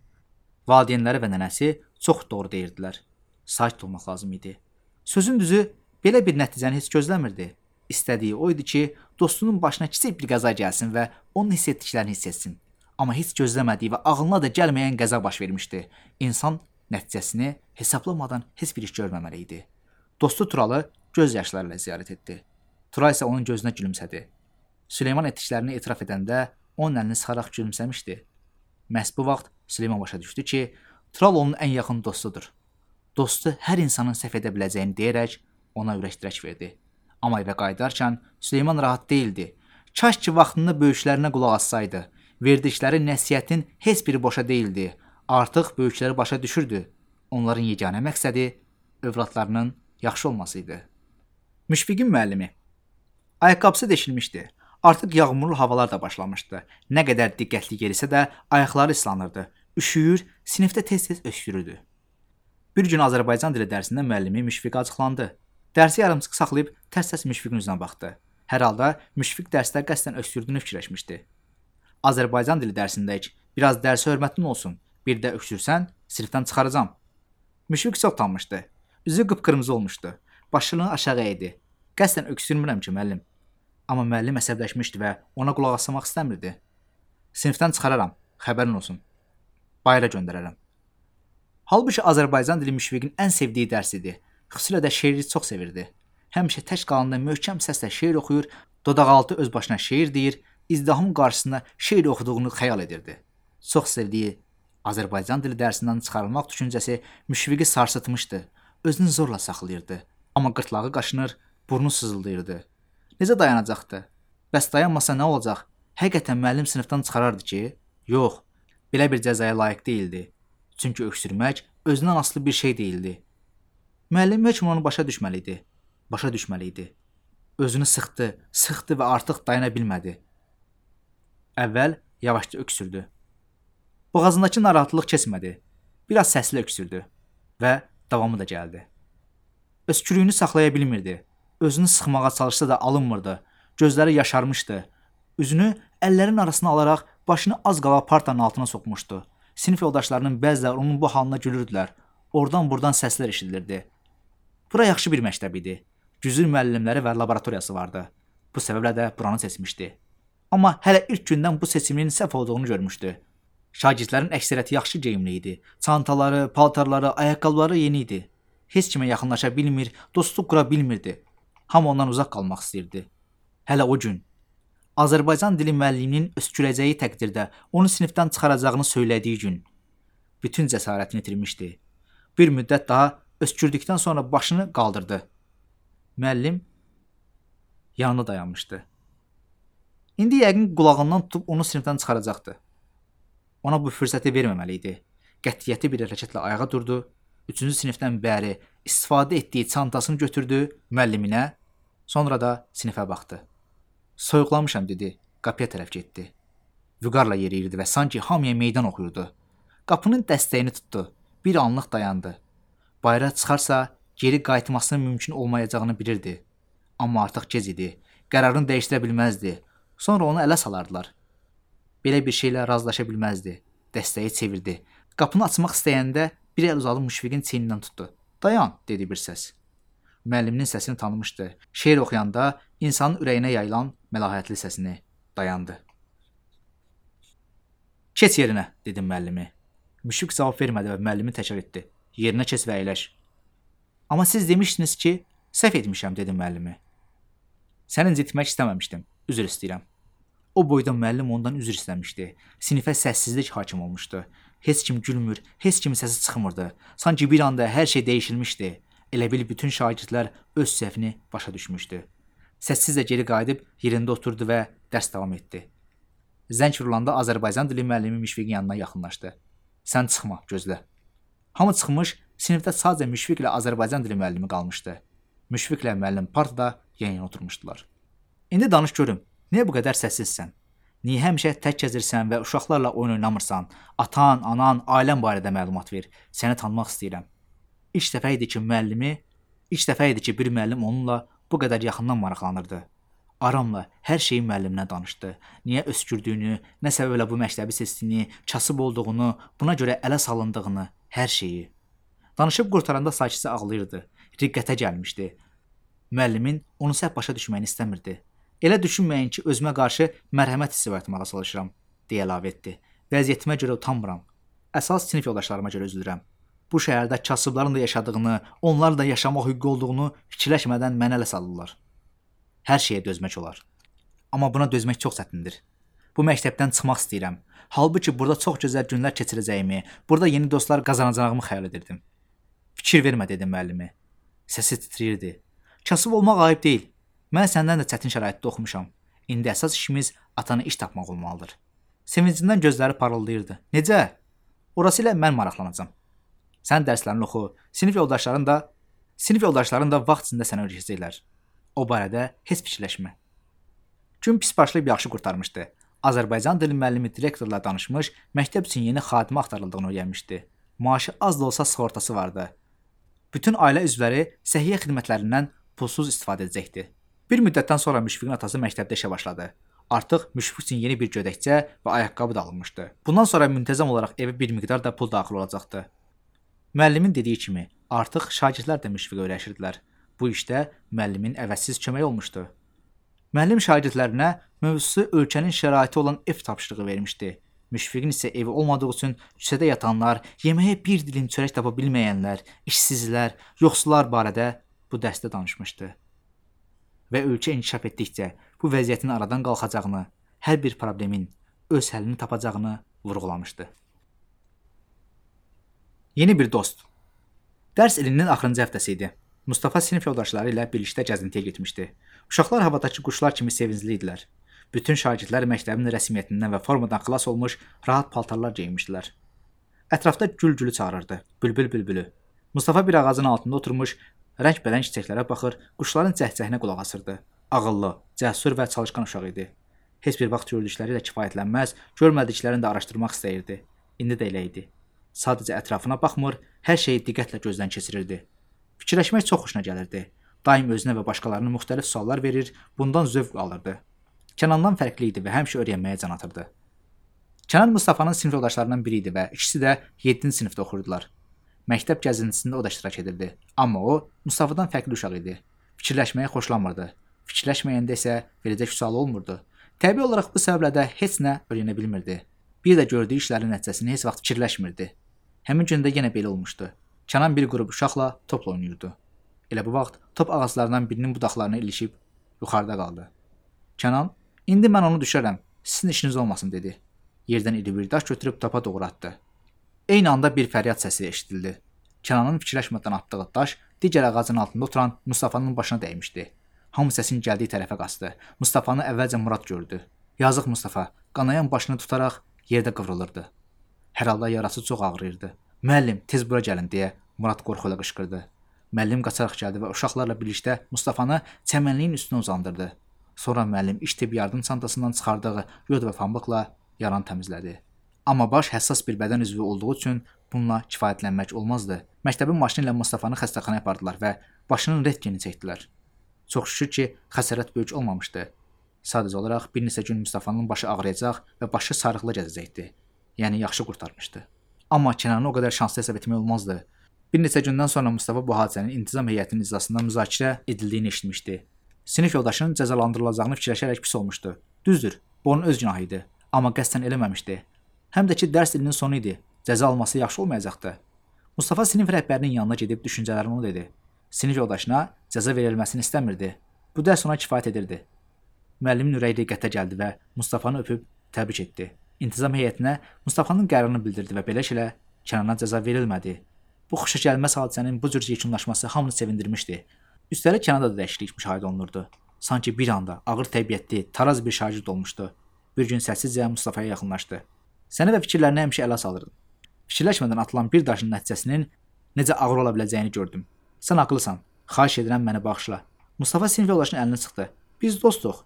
Valideynləri və nənəsi çox doğru deyirdilər. Sakit olmaq lazım idi. Sözün düzü, belə bir nəticəni heç gözləmirdi. İstədiyi o idi ki, dostunun başına kiçik bir qəza gəlsin və onun hiss etdiklərini hiss etsin. Amma heç gözləmədiyi və ağlına da gəlməyən qəza baş vermişdi. İnsan nəticəsini hesablamadan heç bir iş görməməli idi. Dostu Turalı göz yaşlarıyla ziyarət etdi. Tural isə onun gözünə gülümsədi. Süleyman etdiklərini etiraf edəndə onun əlini sıxaraq gülümsəmişdi. Məhz bu vaxt Süleyman başa düşdü ki, Tural onun ən yaxın dostudur. Dostu hər insanın səhv edə biləcəyini deyərək ona ürək-dirək verdi. Amma evə qayıdarkən Süleyman rahat değildi. Kaş ki vaxtında böyüklərinə qulaq assaydı. Verdikləri nəsihətin heç biri boşa değildi. Artıq böyükləri başa düşürdü. Onların yeganə məqsədi övladlarının yaxşı olması idi. Müşfiqin müəllimi. Ayaqqabısı deşilmişdi. Artıq yağmurlu havalar da başlamışdı. Nə qədər diqqətli yerisə də ayaqları ıslanırdı. Üşüyür, sinifdə tez-tez öskürürdü. Bir gün Azərbaycan dili dərsində müəllimi Müşfiqə acıqlandı. Dərsi yarımçıq saxlayıb tərs-tərs Müşfiqin üzünə baxdı. Hər halda Müşfiq dərsdə qəsdən öskürdüyünü fikirləşmişdi. Azərbaycan dili dərsindəyik. Biraz dərsə hörmətin olsun. Bir də öksürsən, sinifdən çıxaracam. Müşfiq çox utanmışdı. Üzü qıpqırmızı olmuşdu. Başını aşağı əydi. Qəsdən öksürmürəm ki, müəllim. Amma müəllim əsəbləşmişdi və ona qulaq asmaq istəmirdi. Sinifdən çıxararam, xəbərin olsun. Bayıra göndərərəm. Halbuki Azərbaycan dili Müşfiqin ən sevdiyi dərs idi. Xüsusilə də şeiri çox sevirdi. Həmişə tək qalanda möhkəm səslə şeir oxuyur, dodaqaltı öz başına şeir deyir, izdiham qarşısında şeir oxuduğunu xəyal edirdi. Çox sevdiyi Azərbaycan dili dərsindən çıxarılmaq düşüncəsi Müşfiqi sarsıtmışdı. Özünü zorla saxlayırdı. Amma qırtlağı qaşınır, burnu sızıldayırdı. Necə dayanacaqdı? Bəs dayanmasa nə olacaq? Həqiqətən müəllim sinifdən çıxarardı ki? Yox, belə bir cəzaya layiq deyildi. Çünki öksürmək özündən asılı bir şey deyildi. Müəllim heç onu başa düşməli idi. Başa düşməli idi. Özünü sıxdı və artıq dayana bilmədi. Əvvəl yavaşca öksürdü. Boğazındakı narahatlıq keçmədi. Biraz səsli öksürdü və davamı da gəldi. Öskürüyünü saxlaya bilmirdi. Özünü sıxmağa çalışsa da alınmırdı. Gözləri yaşarmışdı. Üzünü əllərin arasına alaraq başını az qala partanın altına soxmuşdu. Sinif yoldaşlarının bəziləri onun bu halına gülürdülər. Oradan-buradan səslər eşidilirdi. Bura yaxşı bir məktəb idi. Güzül müəllimləri və laboratoriyası vardı. Bu səbəblə də buranı seçmişdi. Amma hələ ilk gündən bu seçimin səhv olduğunu görmüşdü. Şagirdlərin əksəriyyəti yaxşı geyimli idi. Çantaları, paltarları, ayaqqabıları yeni idi. Heç kimə yaxınlaşa bilmir, dostluq qura bilmirdi. Hamı ondan uzaq qalmaq istəyirdi. Hələ o gün. Azərbaycan dili müəlliminin öskürəcəyi təqdirdə onu sinifdən çıxaracağını söylədiyi gün bütün cəsarətini itirmişdi. Bir müddət daha öskürdükdən sonra başını qaldırdı. Müəllim yanında dayanmışdı. İndi yəqin qulağından tutub onu sinifdən çıxaracaqdı. Ona bu fürsəti verməməli idi. Qətiyyətli bir hərəkətlə ayağa durdu. 3-cü sinifdən bəri istifadə etdiyi çantasını götürdü müəlliminə, sonra da sinifə baxdı. Soyuqlamışam dedi, qapıya tərəf getdi. Vüqarla yeriyirdi və sanki hamıya meydan oxuyurdu. Qapının dəstəyini tutdu. Bir anlıq dayandı. Bayıra çıxarsa geri qayıtmasının mümkün olmayacağını bilirdi. Amma artıq gec idi. Qərarını dəyişdirə bilməzdi. Sonra onu ələ salardılar. Belə bir şeylə razılaşa bilməzdi. Dəstəyi çevirdi. Qapını açmaq istəyəndə bir əl uzadıb Müşfiqin çiynindən tutdu. Dayan, dedi bir səs. Müəlliminin səsini tanımışdı. Şeir oxuyanda insanın ürəyinə yayılan məlahətli səsini. Dayandı. Keç yerinə, dedi müəllimi. Müşfiq cavab vermədi və müəllimi təkrar etdi. Yerinə keç və əyləş. Amma siz demişdiniz ki, səhv etmişəm, dedi müəllimi. Səni incitmək istəməmişdim. Üzr istəyirəm. O boyda müəllim ondan üzr istəmişdi. Sinifə səssizlik hakim olmuşdu. Heç kim gülmür, heç kimin səsi çıxmırdı. Sanki bir anda hər şey dəyişilmişdi. Elə bil bütün şagirdlər öz səhvini başa düşmüşdü. Səssizcə geri qayıdıb yerində oturdu və dərs davam etdi. Zəng vurulanda Azərbaycan dili müəllimi Müşfiqin yanına yaxınlaşdı. Sən çıxma, gözlə. Hamı çıxmış, sinifdə sadəcə Müşfiq ilə Azərbaycan dili müəllimi qalmışdı. Müşfiq ilə müəllim partada yan-yana oturmuşdular. İndi danış görüm, niyə bu qədər səssizsən? Niyə həmişə tək gəzirsən və uşaqlarla oyun oynamırsan? Atan, anan, ailən barədə məlumat ver. Səni tanımaq istəyirəm. İlk dəfə idi ki, bir müəllim onunla bu qədər yaxından maraqlanırdı. Aramla hər şeyi müəlliminə danışdı. Niyə öskürdüyünü, nə səbəblə bu məktəbi seçdiyini, kasıb olduğunu, buna görə ələ salındığını, hər şeyi. Danışıb qurtaranda sakitcə ağlayırdı. Riqqətə gəlmişdi. Müəllimin onu səhv başa düşməyini istəmirdi. Elə düşünməyin ki, özümə qarşı mərhəmət hissi yaratmağa çalışıram, deyə əlavə etdi. Vəziyyətimə görə utanmıram. Əsas sinif yoldaşlarıma görə üzülürəm. Bu şəhərdə kasıbların da yaşadığını, onların da yaşamaq hüququ olduğunu fikirləşmədən mənə ələ salırlar. Hər şeyə dözmək olar. Amma buna dözmək çox çətindir. Bu məktəbdən çıxmaq istəyirəm. Halbuki burada çox gözəl günlər keçirəcəyimi, burada yeni dostlar qazanacağımı xəyal edirdim. Fikir vermə, dedi müəllimi. Səsi titrəyirdi. Kasıb olmaq ayıb deyil. Mən səndən də çətin şəraitdə oxumuşam. İndi əsas işimiz atana iş tapmaq olmalıdır. Sevincindən gözləri parıldayırdı. Necə? Orası ilə mən maraqlanacağam. Sən dərslərini oxu, sinif yoldaşların da vaxt içində sənə öyrədəcəklər. O barədə heç fikirləşmə. Gün pis başlayıb yaxşı qurtarmışdı. Azərbaycan dili müəllimi direktorla danışmış, məktəb üçün yeni xadimə axtarıldığını öyrənmişdi. Maaşı az da olsa sığortası vardı. Bütün ailə üzvləri səhiyyə xidmətlərindən pulsuz istifadə edəcəkdi. Bir müddətdən sonra Müşfiqin atası məktəbdə işə başladı. Artıq Müşfiq üçün yeni bir gödəkçə və ayaqqabı da alınmışdı. Bundan sonra müntəzəm olaraq evə bir miqdar da pul daxil olacaqdı. Müəllimin dediyi kimi, artıq şagirdlər də Müşfiqə öyrəşirdilər. Bu işdə müəllimin əvəzsiz köməyi olmuşdu. Müəllim şagirdlərinə mövzusu ölkənin şəraiti olan ev tapşırığı vermişdi. Müşfiqin isə evi olmadığı üçün küçədə yatanlar, yeməyə bir dilim çörək tapa bilməyənlər, işsizlər, yoxsullar barədə bu dərsdə danışmışdı. Və ölkə inkişaf etdikcə bu vəziyyətin aradan qalxacağını, hər bir problemin öz həllini tapacağını vurğulamışdı. Yeni bir dost. Dərs ilinin axırıncı həftəsi idi. Mustafa sinif yoldaşları ilə birlikdə gəzintiyə getmişdi. Uşaqlar havadakı quşlar kimi sevincli idilər. Bütün şagirdlər məktəbin rəsmiyyətindən və formadan xilas olmuş rahat paltarlar geyinmişdilər. Ətrafda gül-gülü çağırırdı, bülbül-bülbülü. Mustafa bir ağacın altında oturmuş, rəng-bərəng çiçəklərə baxır, quşların cəhcəhinə qulaq asırdı. Ağıllı, cəsur və çalışqan uşaq idi. Heç bir vaxt gördükləri ilə kifayətlənməz, görmədiklərini də araşdırmaq istəyirdi. İndi də elə idi. Sadəcə ətrafına baxmır, hər şeyi diqqətlə gözdən keçirirdi. Fikirləşmək çox xoşuna gəlirdi. Daim özünə və başqalarına müxtəlif suallar verir, bundan zövq alırdı. Kənandan fərqli idi və həmişə öyrənməyə can atırdı. Kənan Mustafanın sinif yoldaşlarından biri idi və ikisi də 7-ci sinifdə oxuyurdular. Məktəb gəzintisində o da iştirak edirdi. Amma o, Mustafadan fərqli uşaq idi. Fikirləşməyi xoşlanmırdı. Fikirləşməyəndə isə verəcək sual olmurdu. Təbii olaraq bu səbəblə də heç nə öyrənə bilmirdi. Bir də gördüyü işlərin nəticəsini heç vaxt fikirləşmirdi. Həmin gün də yenə belə olmuşdu. Kənan bir qrup uşaqla topla oynayırdı. Elə bu vaxt top ağaclarından birinin budaqlarına ilişib yuxarıda qaldı. Kənan İndi mən onu düşərəm. Sizin işiniz olmasın dedi. Yerdən iri bir daş götürüb topa doğru atdı. Eyni anda bir fəryad səsi eşidildi. Kənanın fikirləşmədən atdığı daş digər ağacın altında oturan Mustafanın başına dəymişdi. Hamı səsin gəldiyi tərəfə qaçdı. Mustafanı əvvəlcə Murad gördü. Yazıq Mustafa qanayan başını tutaraq yerdə qıvrılırdı. Hər halda yarası çox ağrıyırdı. Müəllim, tez bura gəlin deyə Murad qorxuyla qışqırdı. Müəllim qaçaraq gəldi və uşaqlarla birlikdə Mustafanı çəmənliyin üstünə uzandırdı. Sonra müəllim iş tibbi yardım çantasından çıxardığı yod və pambıqla yaranı təmizlədi. Amma baş həssas bir bədən üzvü olduğu üçün bununla kifayətlənmək olmazdı. Məktəbin maşını ilə Mustafanı xəstəxanaya apardılar və başının rentgenini çəkdilər. Çox şükür ki, xəsarət böyük olmamışdı. Sadəcə olaraq bir neçə gün Mustafanın başı ağrıyacaq və başı sarıqlı gəzəcəkdi. Yəni yaxşı qurtarmışdı. Amma Kənanı o qədər şanslı hesab etmək olmazdı. Bir neçə gündən sonra Mustafa bu hadisənin intizam heyətinin iclasında müzakirə edildiyini eşitmişdi. Sinif yoldaşının cəzalandırılacağını fikirləşərək pis olmuşdu. Düzdür, bu onun öz günahı idi, amma qəsdən eləməmişdi. Həm də ki, dərs ilinin sonu idi. Cəza alması yaxşı olmayacaqdı. Mustafa sinif rəhbərinin yanına gedib düşüncələrini ona dedi. Sinif yoldaşına cəza verilməsini istəmirdi. Bu dərs ona kifayət edirdi. Müəllimin ürəyi diqqətə gəldi və Mustafanı öpüb təbrik etdi. İntizam heyətinə Mustafanın qərarını bildirdi və beləliklə Kənana cəza verilmədi. Bu xoşagəlməz hadisənin bu cür yekunlaşması hamını sevindirmişdi. Üstəlik Kənada da dəyişiklik müşahidə olunurdu. Sanki bir anda ağır təbiətli, taraz bir şagird olmuşdu. Bir gün səssizcə Mustafaya yaxınlaşdı. Səni və fikirlərini həmişə ələ salırdın. Fikirləşmədən atılan bir daşın nəticəsinin necə ağır ola biləcəyini gördüm. Sən haqlısan. Xahiş edirəm məni bağışla. Mustafa sinif yoldaşının əlini sıxdı. Biz dostuq.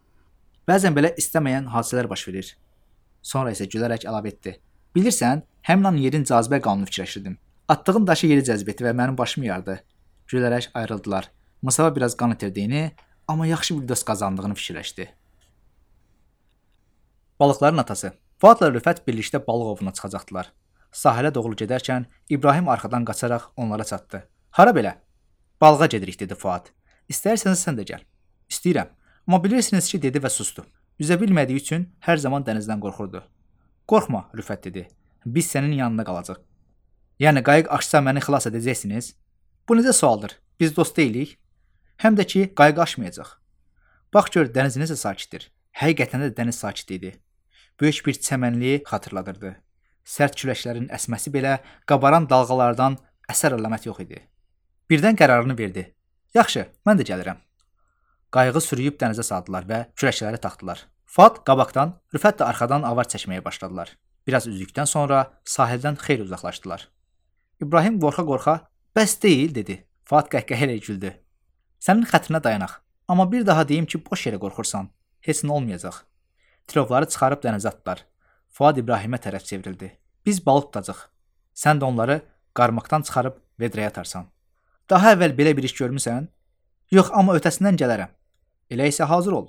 Bəzən belə istəməyən hadisələr baş verir. Sonra isə gülərək əlavə etdi. Bilirsən, həmin an yerin cazibə qanunu fikirləşirdim. Atdığım daşı yeri cəzb etdi və mənim başımı yardı. Gülərək ayrıldılar. Mustafa biraz qan itirdiyini, amma yaxşı bir dost qazandığını fikirləşdi. Balıqların atası. Fuadla Rüfət birlikdə balıq ovuna çıxacaqdılar. Sahilə doğru gedərkən İbrahim arxadan qaçaraq onlara çatdı. Hara belə? Balığa gedirik dedi Fuad. İstəyirseniz sən də gəl. İstəyirəm. Amma bilirsiniz ki dedi və sustu. Üzə bilmədiyi üçün hər zaman dənizdən qorxurdu. Qorxma, Rüfət dedi. Biz sənin yanında qalacaq. Yəni qayıq aşsa məni xilas edəcəksiniz? Bu necə sualdır? Biz dost deyilik. Həm də ki qayıq aşmayacaq. Bax gör dəniz necə sakitdir. Həqiqətən də dəniz sakit idi. Böyük bir çəmənliyi xatırladırdı. Sərt küləklərin əsməsi belə qabaran dalğalardan əsər əlamət yox idi. Birdən qərarını verdi. Yaxşı, mən də gəlirəm. Qayığı sürüyüb dənizə saldılar və küləkləri taxdılar. Fuad qabaqdan, Rüfət də arxadan avar çəkməyə başladılar. Biraz üzdükdən sonra sahildən xeyli uzaqlaşdılar. İbrahim qorxa-qorxa, bəs deyil, dedi. Fuad qəhqəhə ilə güldü. Sənin xətrinə dayanaq. Amma bir daha deyim ki, boş yerə qorxursan. Heç nə olmayacaq. Tilovları çıxarıb dənizə atdılar. Fuad İbrahimə tərəf çevrildi. Biz balıq tutacaq. Sən də onları qarmaqdan çıxarıb vedrəyə atarsan. Daha əvvəl belə bir iş görmüsən? Yox, amma ötəsindən gələrəm. Elə isə hazır ol.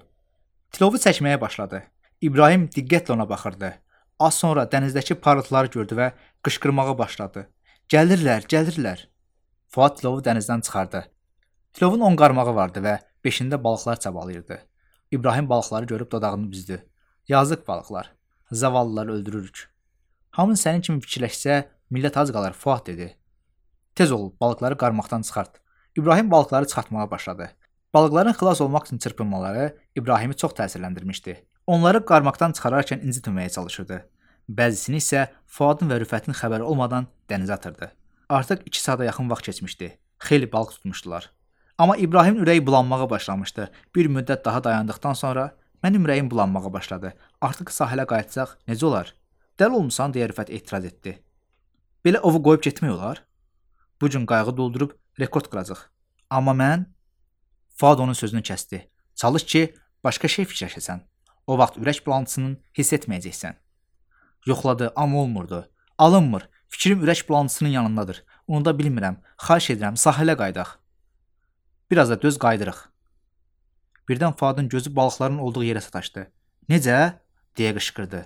Tilovu çəkməyə başladı. İbrahim diqqətlə ona baxırdı. Az sonra dənizdəki parıltıları gördü və qışqırmağa başladı. Gəlirlər, gəlirlər. Fuad tilovu dənizdən çıxardı. Tilovun 10 qarmağı vardı və 5-ində balıqlar çabalayırdı. İbrahim balıqları görüb dodağını büzdü. Yazıq balıqlar. Zavallılar öldürürük. Hamın sənin kimi fikirləşsə, millət az qalar, Fuad dedi. Tez ol, balıqları qarmaqdan çıxart. İbrahim balıqları çıxartmağa başladı. Balıqların xilas olmaq üçün çırpınmaları İbrahimi çox təsirləndirmişdi. Onları qarmaqdan çıxararkən incitməməyə çalışırdı. Bəzisini isə Fuadın və Rüfətin xəbəri olmadan dənizə atırdı. Artıq 2 saata yaxın vaxt keçmişdi. Xeyli balıq tutmuşdular. Amma İbrahimin ürəyi bulanmağa başlamışdı. Bir müddət daha dayandıqdan sonra mənim ürəyim bulanmağa başladı. Artıq sahilə qayıtsaq necə olar? Dəli olmusan deyə Rüfət etiraz etdi. Belə ovu qoyub getmək olar? Bu gün qayığı doldurub rekord qıracaq. Amma mən Fuad onun sözünü kəsdi. Çalış ki, başqa şey fikirləşəsən. O vaxt ürək bulantısını hiss etməyəcəksən. Yoxladı, amma olmurdu. Alınmır. Fikrim ürək bulantısının yanındadır. Onu da bilmirəm. Xahiş edirəm, sahilə qayıdaq. Biraz da döz qayıdırıq. Birdən Fuadın gözü balıqların olduğu yerə sataşdı. Necə? Deyə qışqırdı.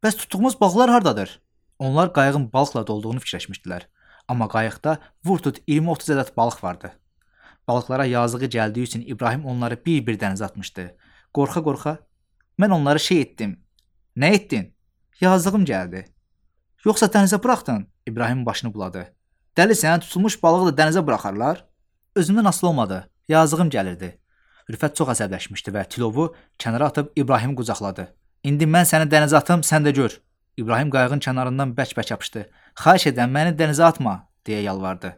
Bəs tutduğumuz balıqlar hardadır? Onlar qayığın balıqla dolduğunu fikirləşmişdilər. Amma qayıqda vur-tut 20-30 ədəd balıq vardı. Balıqlara yazığı gəldiyi üçün İbrahim onları bir-bir dənizə atmışdı. Qorxa-qorxa, mən onları şey etdim. Nə etdin? Yazığım gəldi. Yoxsa dənizə buraxdın? İbrahim başını buladı. Dəlisən, tutulmuş balığı da dənizə buraxarlar? Özümdən asılı olmadı. Yazığım gəlirdi. Rüfət çox əsəbləşmişdi və tilovu kənara atıb İbrahimi qucaqladı. İndi mən səni dənizə atım, sən də gör. İbrahim qayığın kənarından bərk-bərk yapışdı. Xahiş edirəm, məni dənizə atma, deyə yalvardı.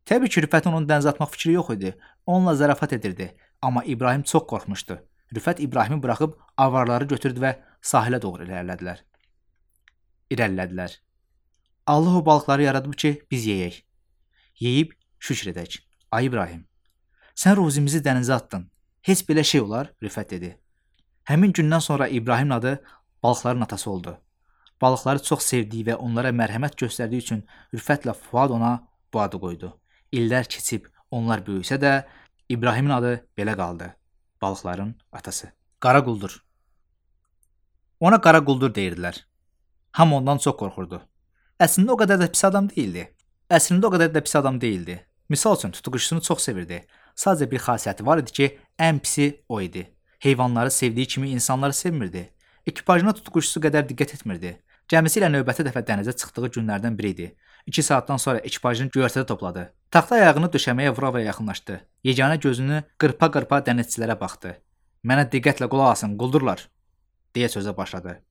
Təbii ki, Rüfətin onun dənizə atmaq fikri yox idi. Onunla zarafat edirdi, amma İbrahim çox qorxmuşdu. Rüfət İbrahimi buraxıb avarları götürdü və sahilə doğru irəlilədilər. Allah o balıqları yaradıb ki, biz yeyək. Yeyib şükür edək. Ay İbrahim, sən ruzimizi dənizə atdın. Heç belə şey olar, Rüfət dedi. Həmin gündən sonra İbrahimin adı balıqların atası oldu. Balıqları çox sevdiyi və onlara mərhəmət göstərdiyi üçün Rüfətlə Fuad ona bu adı qoydu. İllər keçib onlar böyüsə də İbrahimin adı belə qaldı. Balıqların atası. Qara quldur. Ona qara quldur deyirdilər. Hamı ondan çox qorxurdu. Əslində o qədər də pis adam deyildi. Misal üçün tutuquşusunu çox sevirdi. Sadəcə bir xasiyyəti var idi ki, ən pisi o idi. Heyvanları sevdiyi kimi insanları sevmirdi. Ekipajına tutuquşusu qədər diqqət etmirdi. Gəmisi ilə növbəti dəfə dənizə çıxdığı günlərdən biri idi. 2 saatdan sonra ekipajını göyərtədə topladı. Taxta ayağını döşəməyə vura-vura yaxınlaşdı. Yeganə gözünü qırpa-qırpa dənizçilərə baxdı. Mənə diqqətlə qulaq asın, quldurlar, deyə sözə başladı.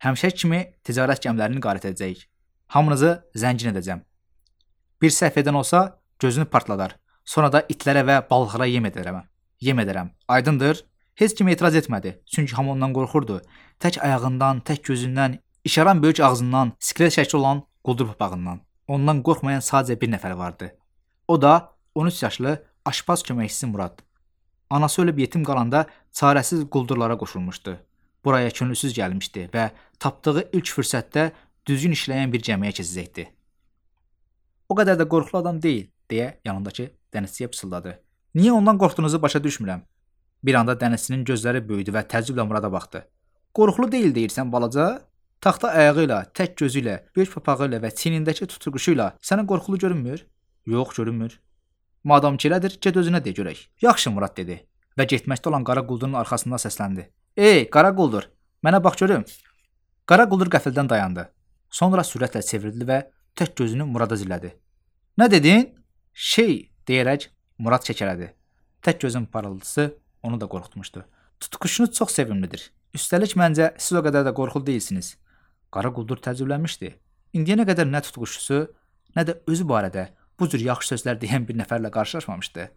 Həmişə kimi ticarət gəmilərini qarət edəcəyik. Hamınızı zəngin edəcəm. Bir səhv edən olsa gözünü partladar. Sonra da itlərə və balıqlara yem edərəm. Aydındır? Heç kim etiraz etmədi. Çünki hamı ondan qorxurdu. Tək ayağından, tək gözündən, işaran böyük ağzından, skelet şəkli olan quldur papağından. Ondan qorxmayan sadəcə bir nəfər vardı. O da 13 yaşlı aşpaz köməkçisi Murad. Anası ölüb yetim qalanda çarəsiz quldurlara qoşulmuşdu. Buraya könülsüz gəlmişdi və tapdığı ilk fürsətdə düzgün işləyən bir gəmiyə keçəcəkdi. O qədər də qorxulu adam deyil, deyə yanındakı dənizçiyə pıçıldadı. Niyə ondan qorxduğunuzu başa düşmürəm. Bir anda dənizçinin gözləri böyüdü və təəccüblə Murada baxdı. Qorxulu deyil deyirsən balaca? Taxta ayağı ilə, tək gözü ilə, böyük papağı ilə və çiynindəki tutuquşu ilə sənə qorxulu görünmür? Yox, görünmür. Madam ki elədir, get özünə de görək. Yaxşı, Murad dedi və getməkdə olan qara quldurun arxasından səsləndi. Ey, qara quldur, mənə bax görüm. Qara quldur qəfildən dayandı. Sonra sürətlə çevrildi və tək gözünü Murada zillədi. Nə dedin? Deyərək Murad kəkələdi. Tək gözün parıltısı onu da qorxutmuşdu. Tutuquşunuz çox sevimlidir. Üstəlik məncə siz o qədər də qorxulu deyilsiniz. Qara quldur təəccüblənmişdi. İndiyənə qədər nə tutuquşusu, nə də özü barədə bu cür yaxşı sözlər deyən bir nəfərlə qarşılaşmamışdı.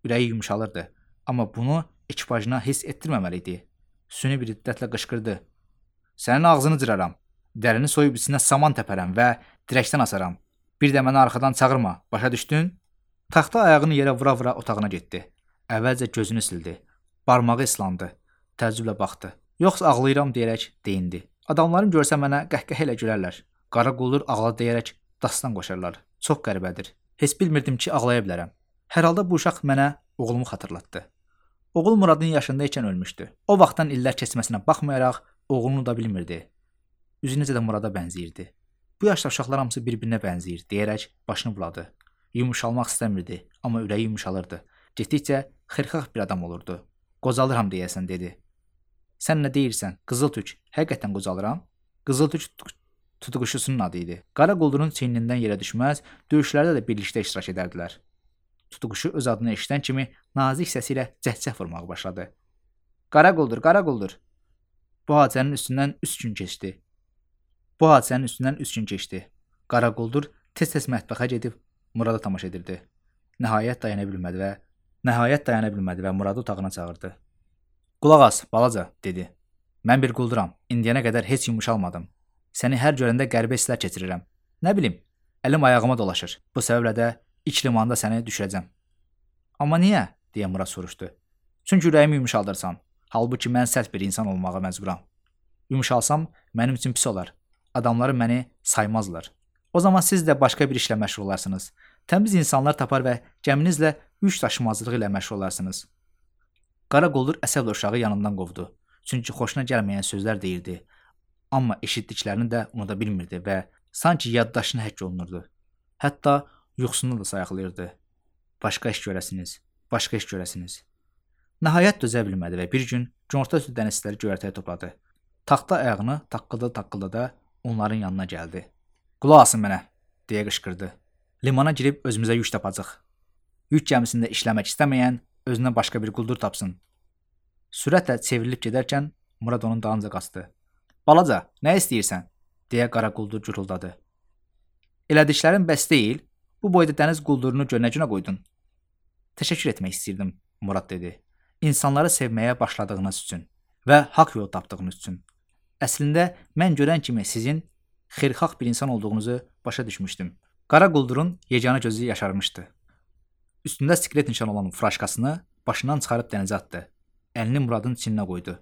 Ürəyi yumşalırdı, amma bunu ekipajına hiss etdirməməli idi. Süni bir hiddətlə qışqırdı. Sənin ağzını cıraram. Dərini soyub içinə saman təpərəm və dirəkdən asaram. Bir də məni arxadan çağırma. Başa düşdün? Taxta ayağını yerə vura-vura otağına getdi. Əvvəlcə gözünü sildi. Barmağı islandı. Təəccüblə baxdı. Yoxsa ağlayıram deyərək deyindi. Adamların görsə mənə qəhqəhə ilə gülərlər. Qara quldur ağla deyərək dastan qoşarlar. Çox qəribədir. Heç bilmirdim ki, ağlaya bilərəm. Hər halda bu uşaq mənə oğlumu xatırlatdı. Oğul Muradın yaşında ikən ölmüşdü. O vaxtdan illər keçməsinə baxmayaraq oğlunu da bilmirdi. Üzü necə də Murada bənzəyirdi. Bu yaşda uşaqlar hamısı bir-birinə bənzəyir deyərək başını buladı. Yumuşalmaq istəmirdi, amma ürəyi yumşalırdı. Getdikcə xırxax bir adam olurdu. Qocalıram deyəsən dedi. Sən nə deyirsən? Qızıltük. Həqiqətən qocalıram? Qızıltük tutuquşusunun adı idi. Qara quldurun çiynindən yerə düşməz, döyüşlərdə də birlikdə iştirak edərdilər. Tutuquşu öz adını eşidən kimi nazik səsi ilə cəhcəh vurmağa başladı. Qara quldur, qara quldur. Bu hadisənin üstündən 3 gün keçdi. Qara quldur tez-tez mətbəxə gedib Murada tamaşa edirdi. Nəhayət dayana bilmədi və Muradı otağına çağırdı. Qulaq as, balaca, dedi. Mən bir qulduram. İndiyənə qədər heç yumuşalmadım. Səni hər görəndə qəribə hisslər keçirirəm. Nə bilim, əlim ayağıma dolaşır. Bu səbəblə də ilk limanda səni düşürəcəm. Amma niyə? Deyə Murad soruşdu. Çünki ürəyimi yumuşaldırsan. Halbuki mən sərt bir insan olmağa məcburam. Yumuşalsam mənim üçün pis olar. Adamları məni saymazlar. O zaman siz də başqa bir işlə məşğul olarsınız. Təmiz insanlar tapar və gəminizlə yük daşımazlığı ilə məşğul olarsınız. Qara quldur əsəblə uşağı yanından qovdu. Çünki xoşuna gəlməyən sözlər deyirdi. Amma eşitdiklərini də unuda bilmirdi və sanki yaddaşına həkk olunurdu. Hətta yuxusunu da sayıqlayırdı. Başqa iş görəsiniz. Nəhayət dözə bilmədi və bir gün günorta üstü dənizçiləri göyərtəyə topladı. Taxta ayağını taqqılda onların yanına gəldi. Qulaq asın mənə, deyə qışqırdı. Limana girib özümüzə yük tapacaq. Yük gəmisində işləmək istəməyən özünə başqa bir quldur tapsın. Sürətlə çevrilib gedərkən Murad onun dalınca qaçdı. Balaca, nə istəyirsən? Deyə qara quldur guruldadı. Elədiklərin bəs deyil, bu boyda dəniz quldurunu gölünə qoydun. Təşəkkür etmək istəyirdim, Murad dedi. İnsanları sevməyə başladığınız üçün və haqq yol tapdığınız üçün. Əslində, mən görən kimi sizin xeyirxah bir insan olduğunuzu başa düşmüşdüm. Qara quldurun yeganə gözü yaşarmışdı. Üstündə sklet nişan olan furaşkasını başından çıxarıb dənizə atdı. Əlini Muradın çininə qoydu.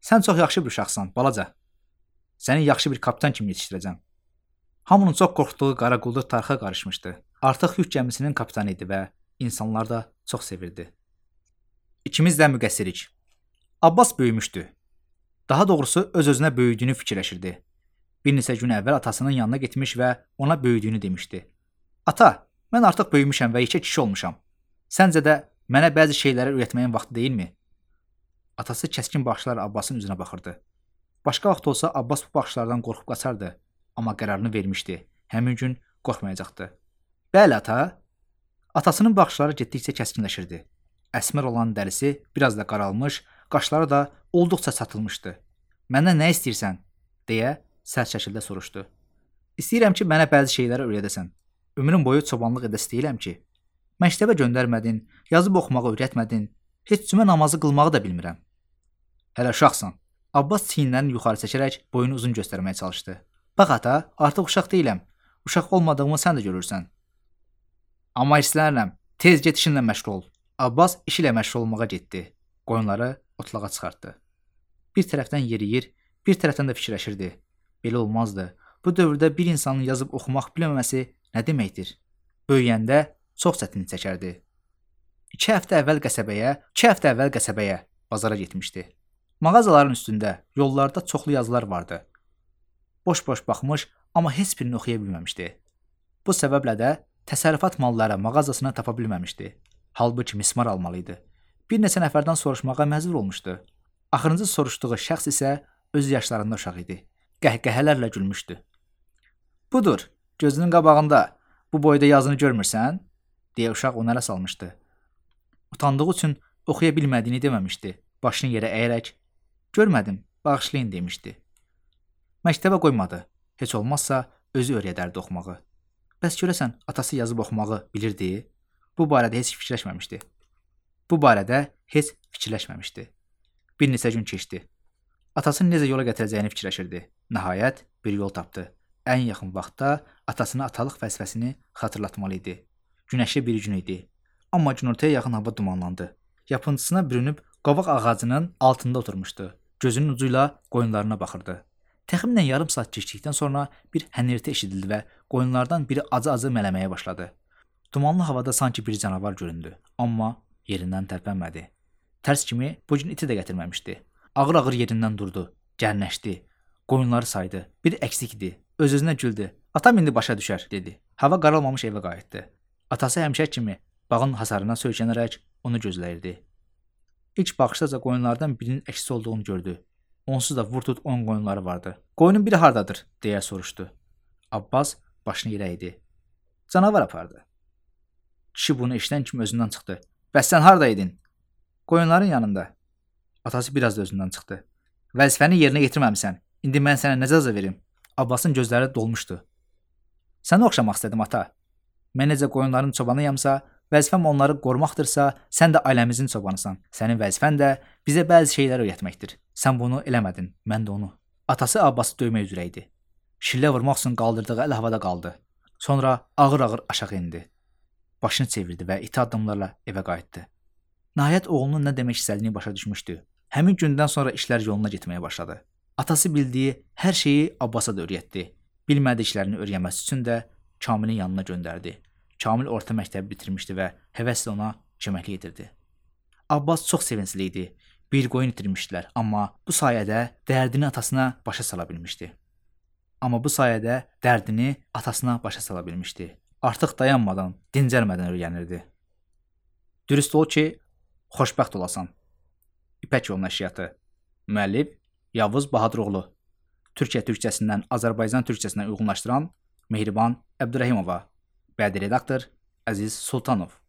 Sən çox yaxşı bir uşaqsan, balaca. Səni yaxşı bir kapitan kimi yetişdirəcəm. Hamının çox qorxduğu qara quldur tarxa qarışmışdı. Artıq yük gəmisinin kapitanı idi və insanlar da çox sevirdi. İkimiz də müqəssirik. Abbas böyümüşdü. Daha doğrusu öz-özünə böyüdüyünü fikirləşirdi. Bir neçə gün əvvəl atasının yanına getmiş və ona böyüdüyünü demişdi. Ata, mən artıq böyümüşəm və yekə kişi olmuşam. Səncə də mənə bəzi şeyləri öyrətməyin vaxtı deyilmi? Atası kəskin baxışlarla Abbasın üzünə baxırdı. Başqa vaxt olsa Abbas bu baxışlardan qorxub qaçardı, amma qərarını vermişdi. Həmin gün qorxmayacaqdı. Bəli, ata. Atasının baxışları getdikcə kəskinləşirdi. Əsmər olan dərisi biraz da qaralmış, qaşları da olduqca çatılmışdı. Məndən nə istəyirsən? Deyə sərt şəkildə soruşdu. İstəyirəm ki, mənə bəzi şeyləri öyrədəsən. Ömrüm boyu çobanlıq edəsi deyiləm ki. Məktəbə göndərmədin, yazıb oxumağı öyrətmədin, heç cümə namazı qılmağı da bilmirəm. Hələ uşaqsan. Abbas çiyinlərini yuxarı çəkərək boyunu uzun göstərməyə çalışdı. Bax ata, artıq uşaq deyiləm. Uşaq olmadığımı sən də görürsən. Amma hirslənirəm. Tez get işinlə məşğul ol. Abbas işi ilə məşğul olmağa getdi. Qoyunları otlağa çıxartdı. Bir tərəfdən yeriyir, bir tərəfdən də fikirləşirdi. Belə olmazdı. Bu dövrdə bir insanın yazıb oxumaq bilməməsi nə deməkdir? Böyüyəndə çox çətinlik çəkərdi. 2 həftə əvvəl qəsəbəyə, bazara getmişdi. Mağazaların üstündə, yollarda çoxlu yazılar vardı. Boş-boş baxmış, amma heç birini oxuya bilməmişdi. Bu səbəblə də təsərrüfat malları mağazasına tapa bilməmişdi. Halbuki mismar almalıydı. Bir neçə nəfərdən soruşmağa məcbur olmuşdu. Axırıncı soruşduğu şəxs isə öz yaşlarında uşaq idi. Qəhqəhələrlə gülmüşdü. Budur, gözünün qabağında. Bu boyda yazını görmürsən? Deyə uşaq ona ələ salmışdı. Utandığı üçün oxuya bilmədiyini deməmişdi. Başını yerə əyərək, görmədim, bağışlayın demişdi. Məktəbə qoymadı. Heç olmazsa özü öyrədərdi oxumağı. Bəs görəsən, atası yazıb oxumağı bilirdi? Bu barədə heç fikirləşməmişdi. Bir neçə gün keçdi. Atasını necə yola gətirəcəyini fikirləşirdi. Nəhayət bir yol tapdı. Ən yaxın vaxtda atasına atalıq vəzifəsini xatırlatmalı idi. Günəşli bir gün idi. Amma günortaya yaxın hava dumanlandı. Yapıncısına bürünüb qovaq ağacının altında oturmuşdu. Gözünün ucu ilə qoyunlarına baxırdı. Təxminən yarım saat keçdikdən sonra bir hənirti eşidildi və qoyunlardan biri acı-acı mələməyə başladı. Dumanlı havada sanki bir canavar göründü, amma yerindən tərpənmədi. Tərs kimi bu gün iti də gətirməmişdi. Ağır-ağır yerindən durdu, gərnəşdi. Qoyunları saydı. Bir əksik idi. Öz-özünə güldü. Atam indi başa düşər, dedi. Hava qaralmamış evə qayıtdı. Atası həmişə kimi bağın hasarına söykənərək onu gözləyirdi. İlk baxışdaca qoyunlardan birinin əksi olduğunu gördü. Onsuz da vur tut 10 qoyunları vardı. Qoyunun biri hardadır, deyə soruşdu. Abbas başını yerə əydi. Canavar apardı. Kişi bunu eşidən kimi özündən çıxdı. Bəs sən hardaydın? Qoyunların yanında. Atası biraz da özündən çıxdı. Vəzifəni yerinə yetirməmisən. İndi mən sənə nə cəza verim? Abbasın gözləri dolmuşdu. Sənə oxşamaq istədim ata. Mən necə qoyunların çobanıyamsa, vəzifəm onları qorumaqdırsa, sən də ailəmizin çobanısan. Sənin vəzifən də bizə bəzi şeylər öyrətməkdir. Sən bunu eləmədin, mən də onu. Atası Abbası döymək üzrə idi. Şillə vurmaq üçün qaldırdığı əl havada qaldı. Sonra ağır-ağır aşağı indi. Başını çevirdi və iti addımlarla evə qayıtdı. Nəhayət oğlunun nə demək istədiyini başa düşmüşdü. Həmin gündən sonra işlər yoluna getməyə başladı. Atası bildiyi hər şeyi Abbasa da öyrətdi. Bilmədiklərini öyrənməsi üçün də Kamilin yanına göndərdi. Kamil orta məktəbi bitirmişdi və həvəslə ona köməklik edirdi. Abbas çox sevincli idi. Bir qoyun itirmişdilər, amma bu sayədə dərdini atasına başa sala bilmişdi. Artıq dayanmadan, dincəlmədən öyrənirdi. Dürüst ol ki, xoşbəxt olasan. İpək yolu nəşriyyatı. Müəllif Yavuz Bahaduroğlu. Türkiyə türkçəsindən Azərbaycan türkçəsinə uyğunlaşdıran Mehriban Əbdürrəhimova. Bədii redaktor Əziz Sultanov.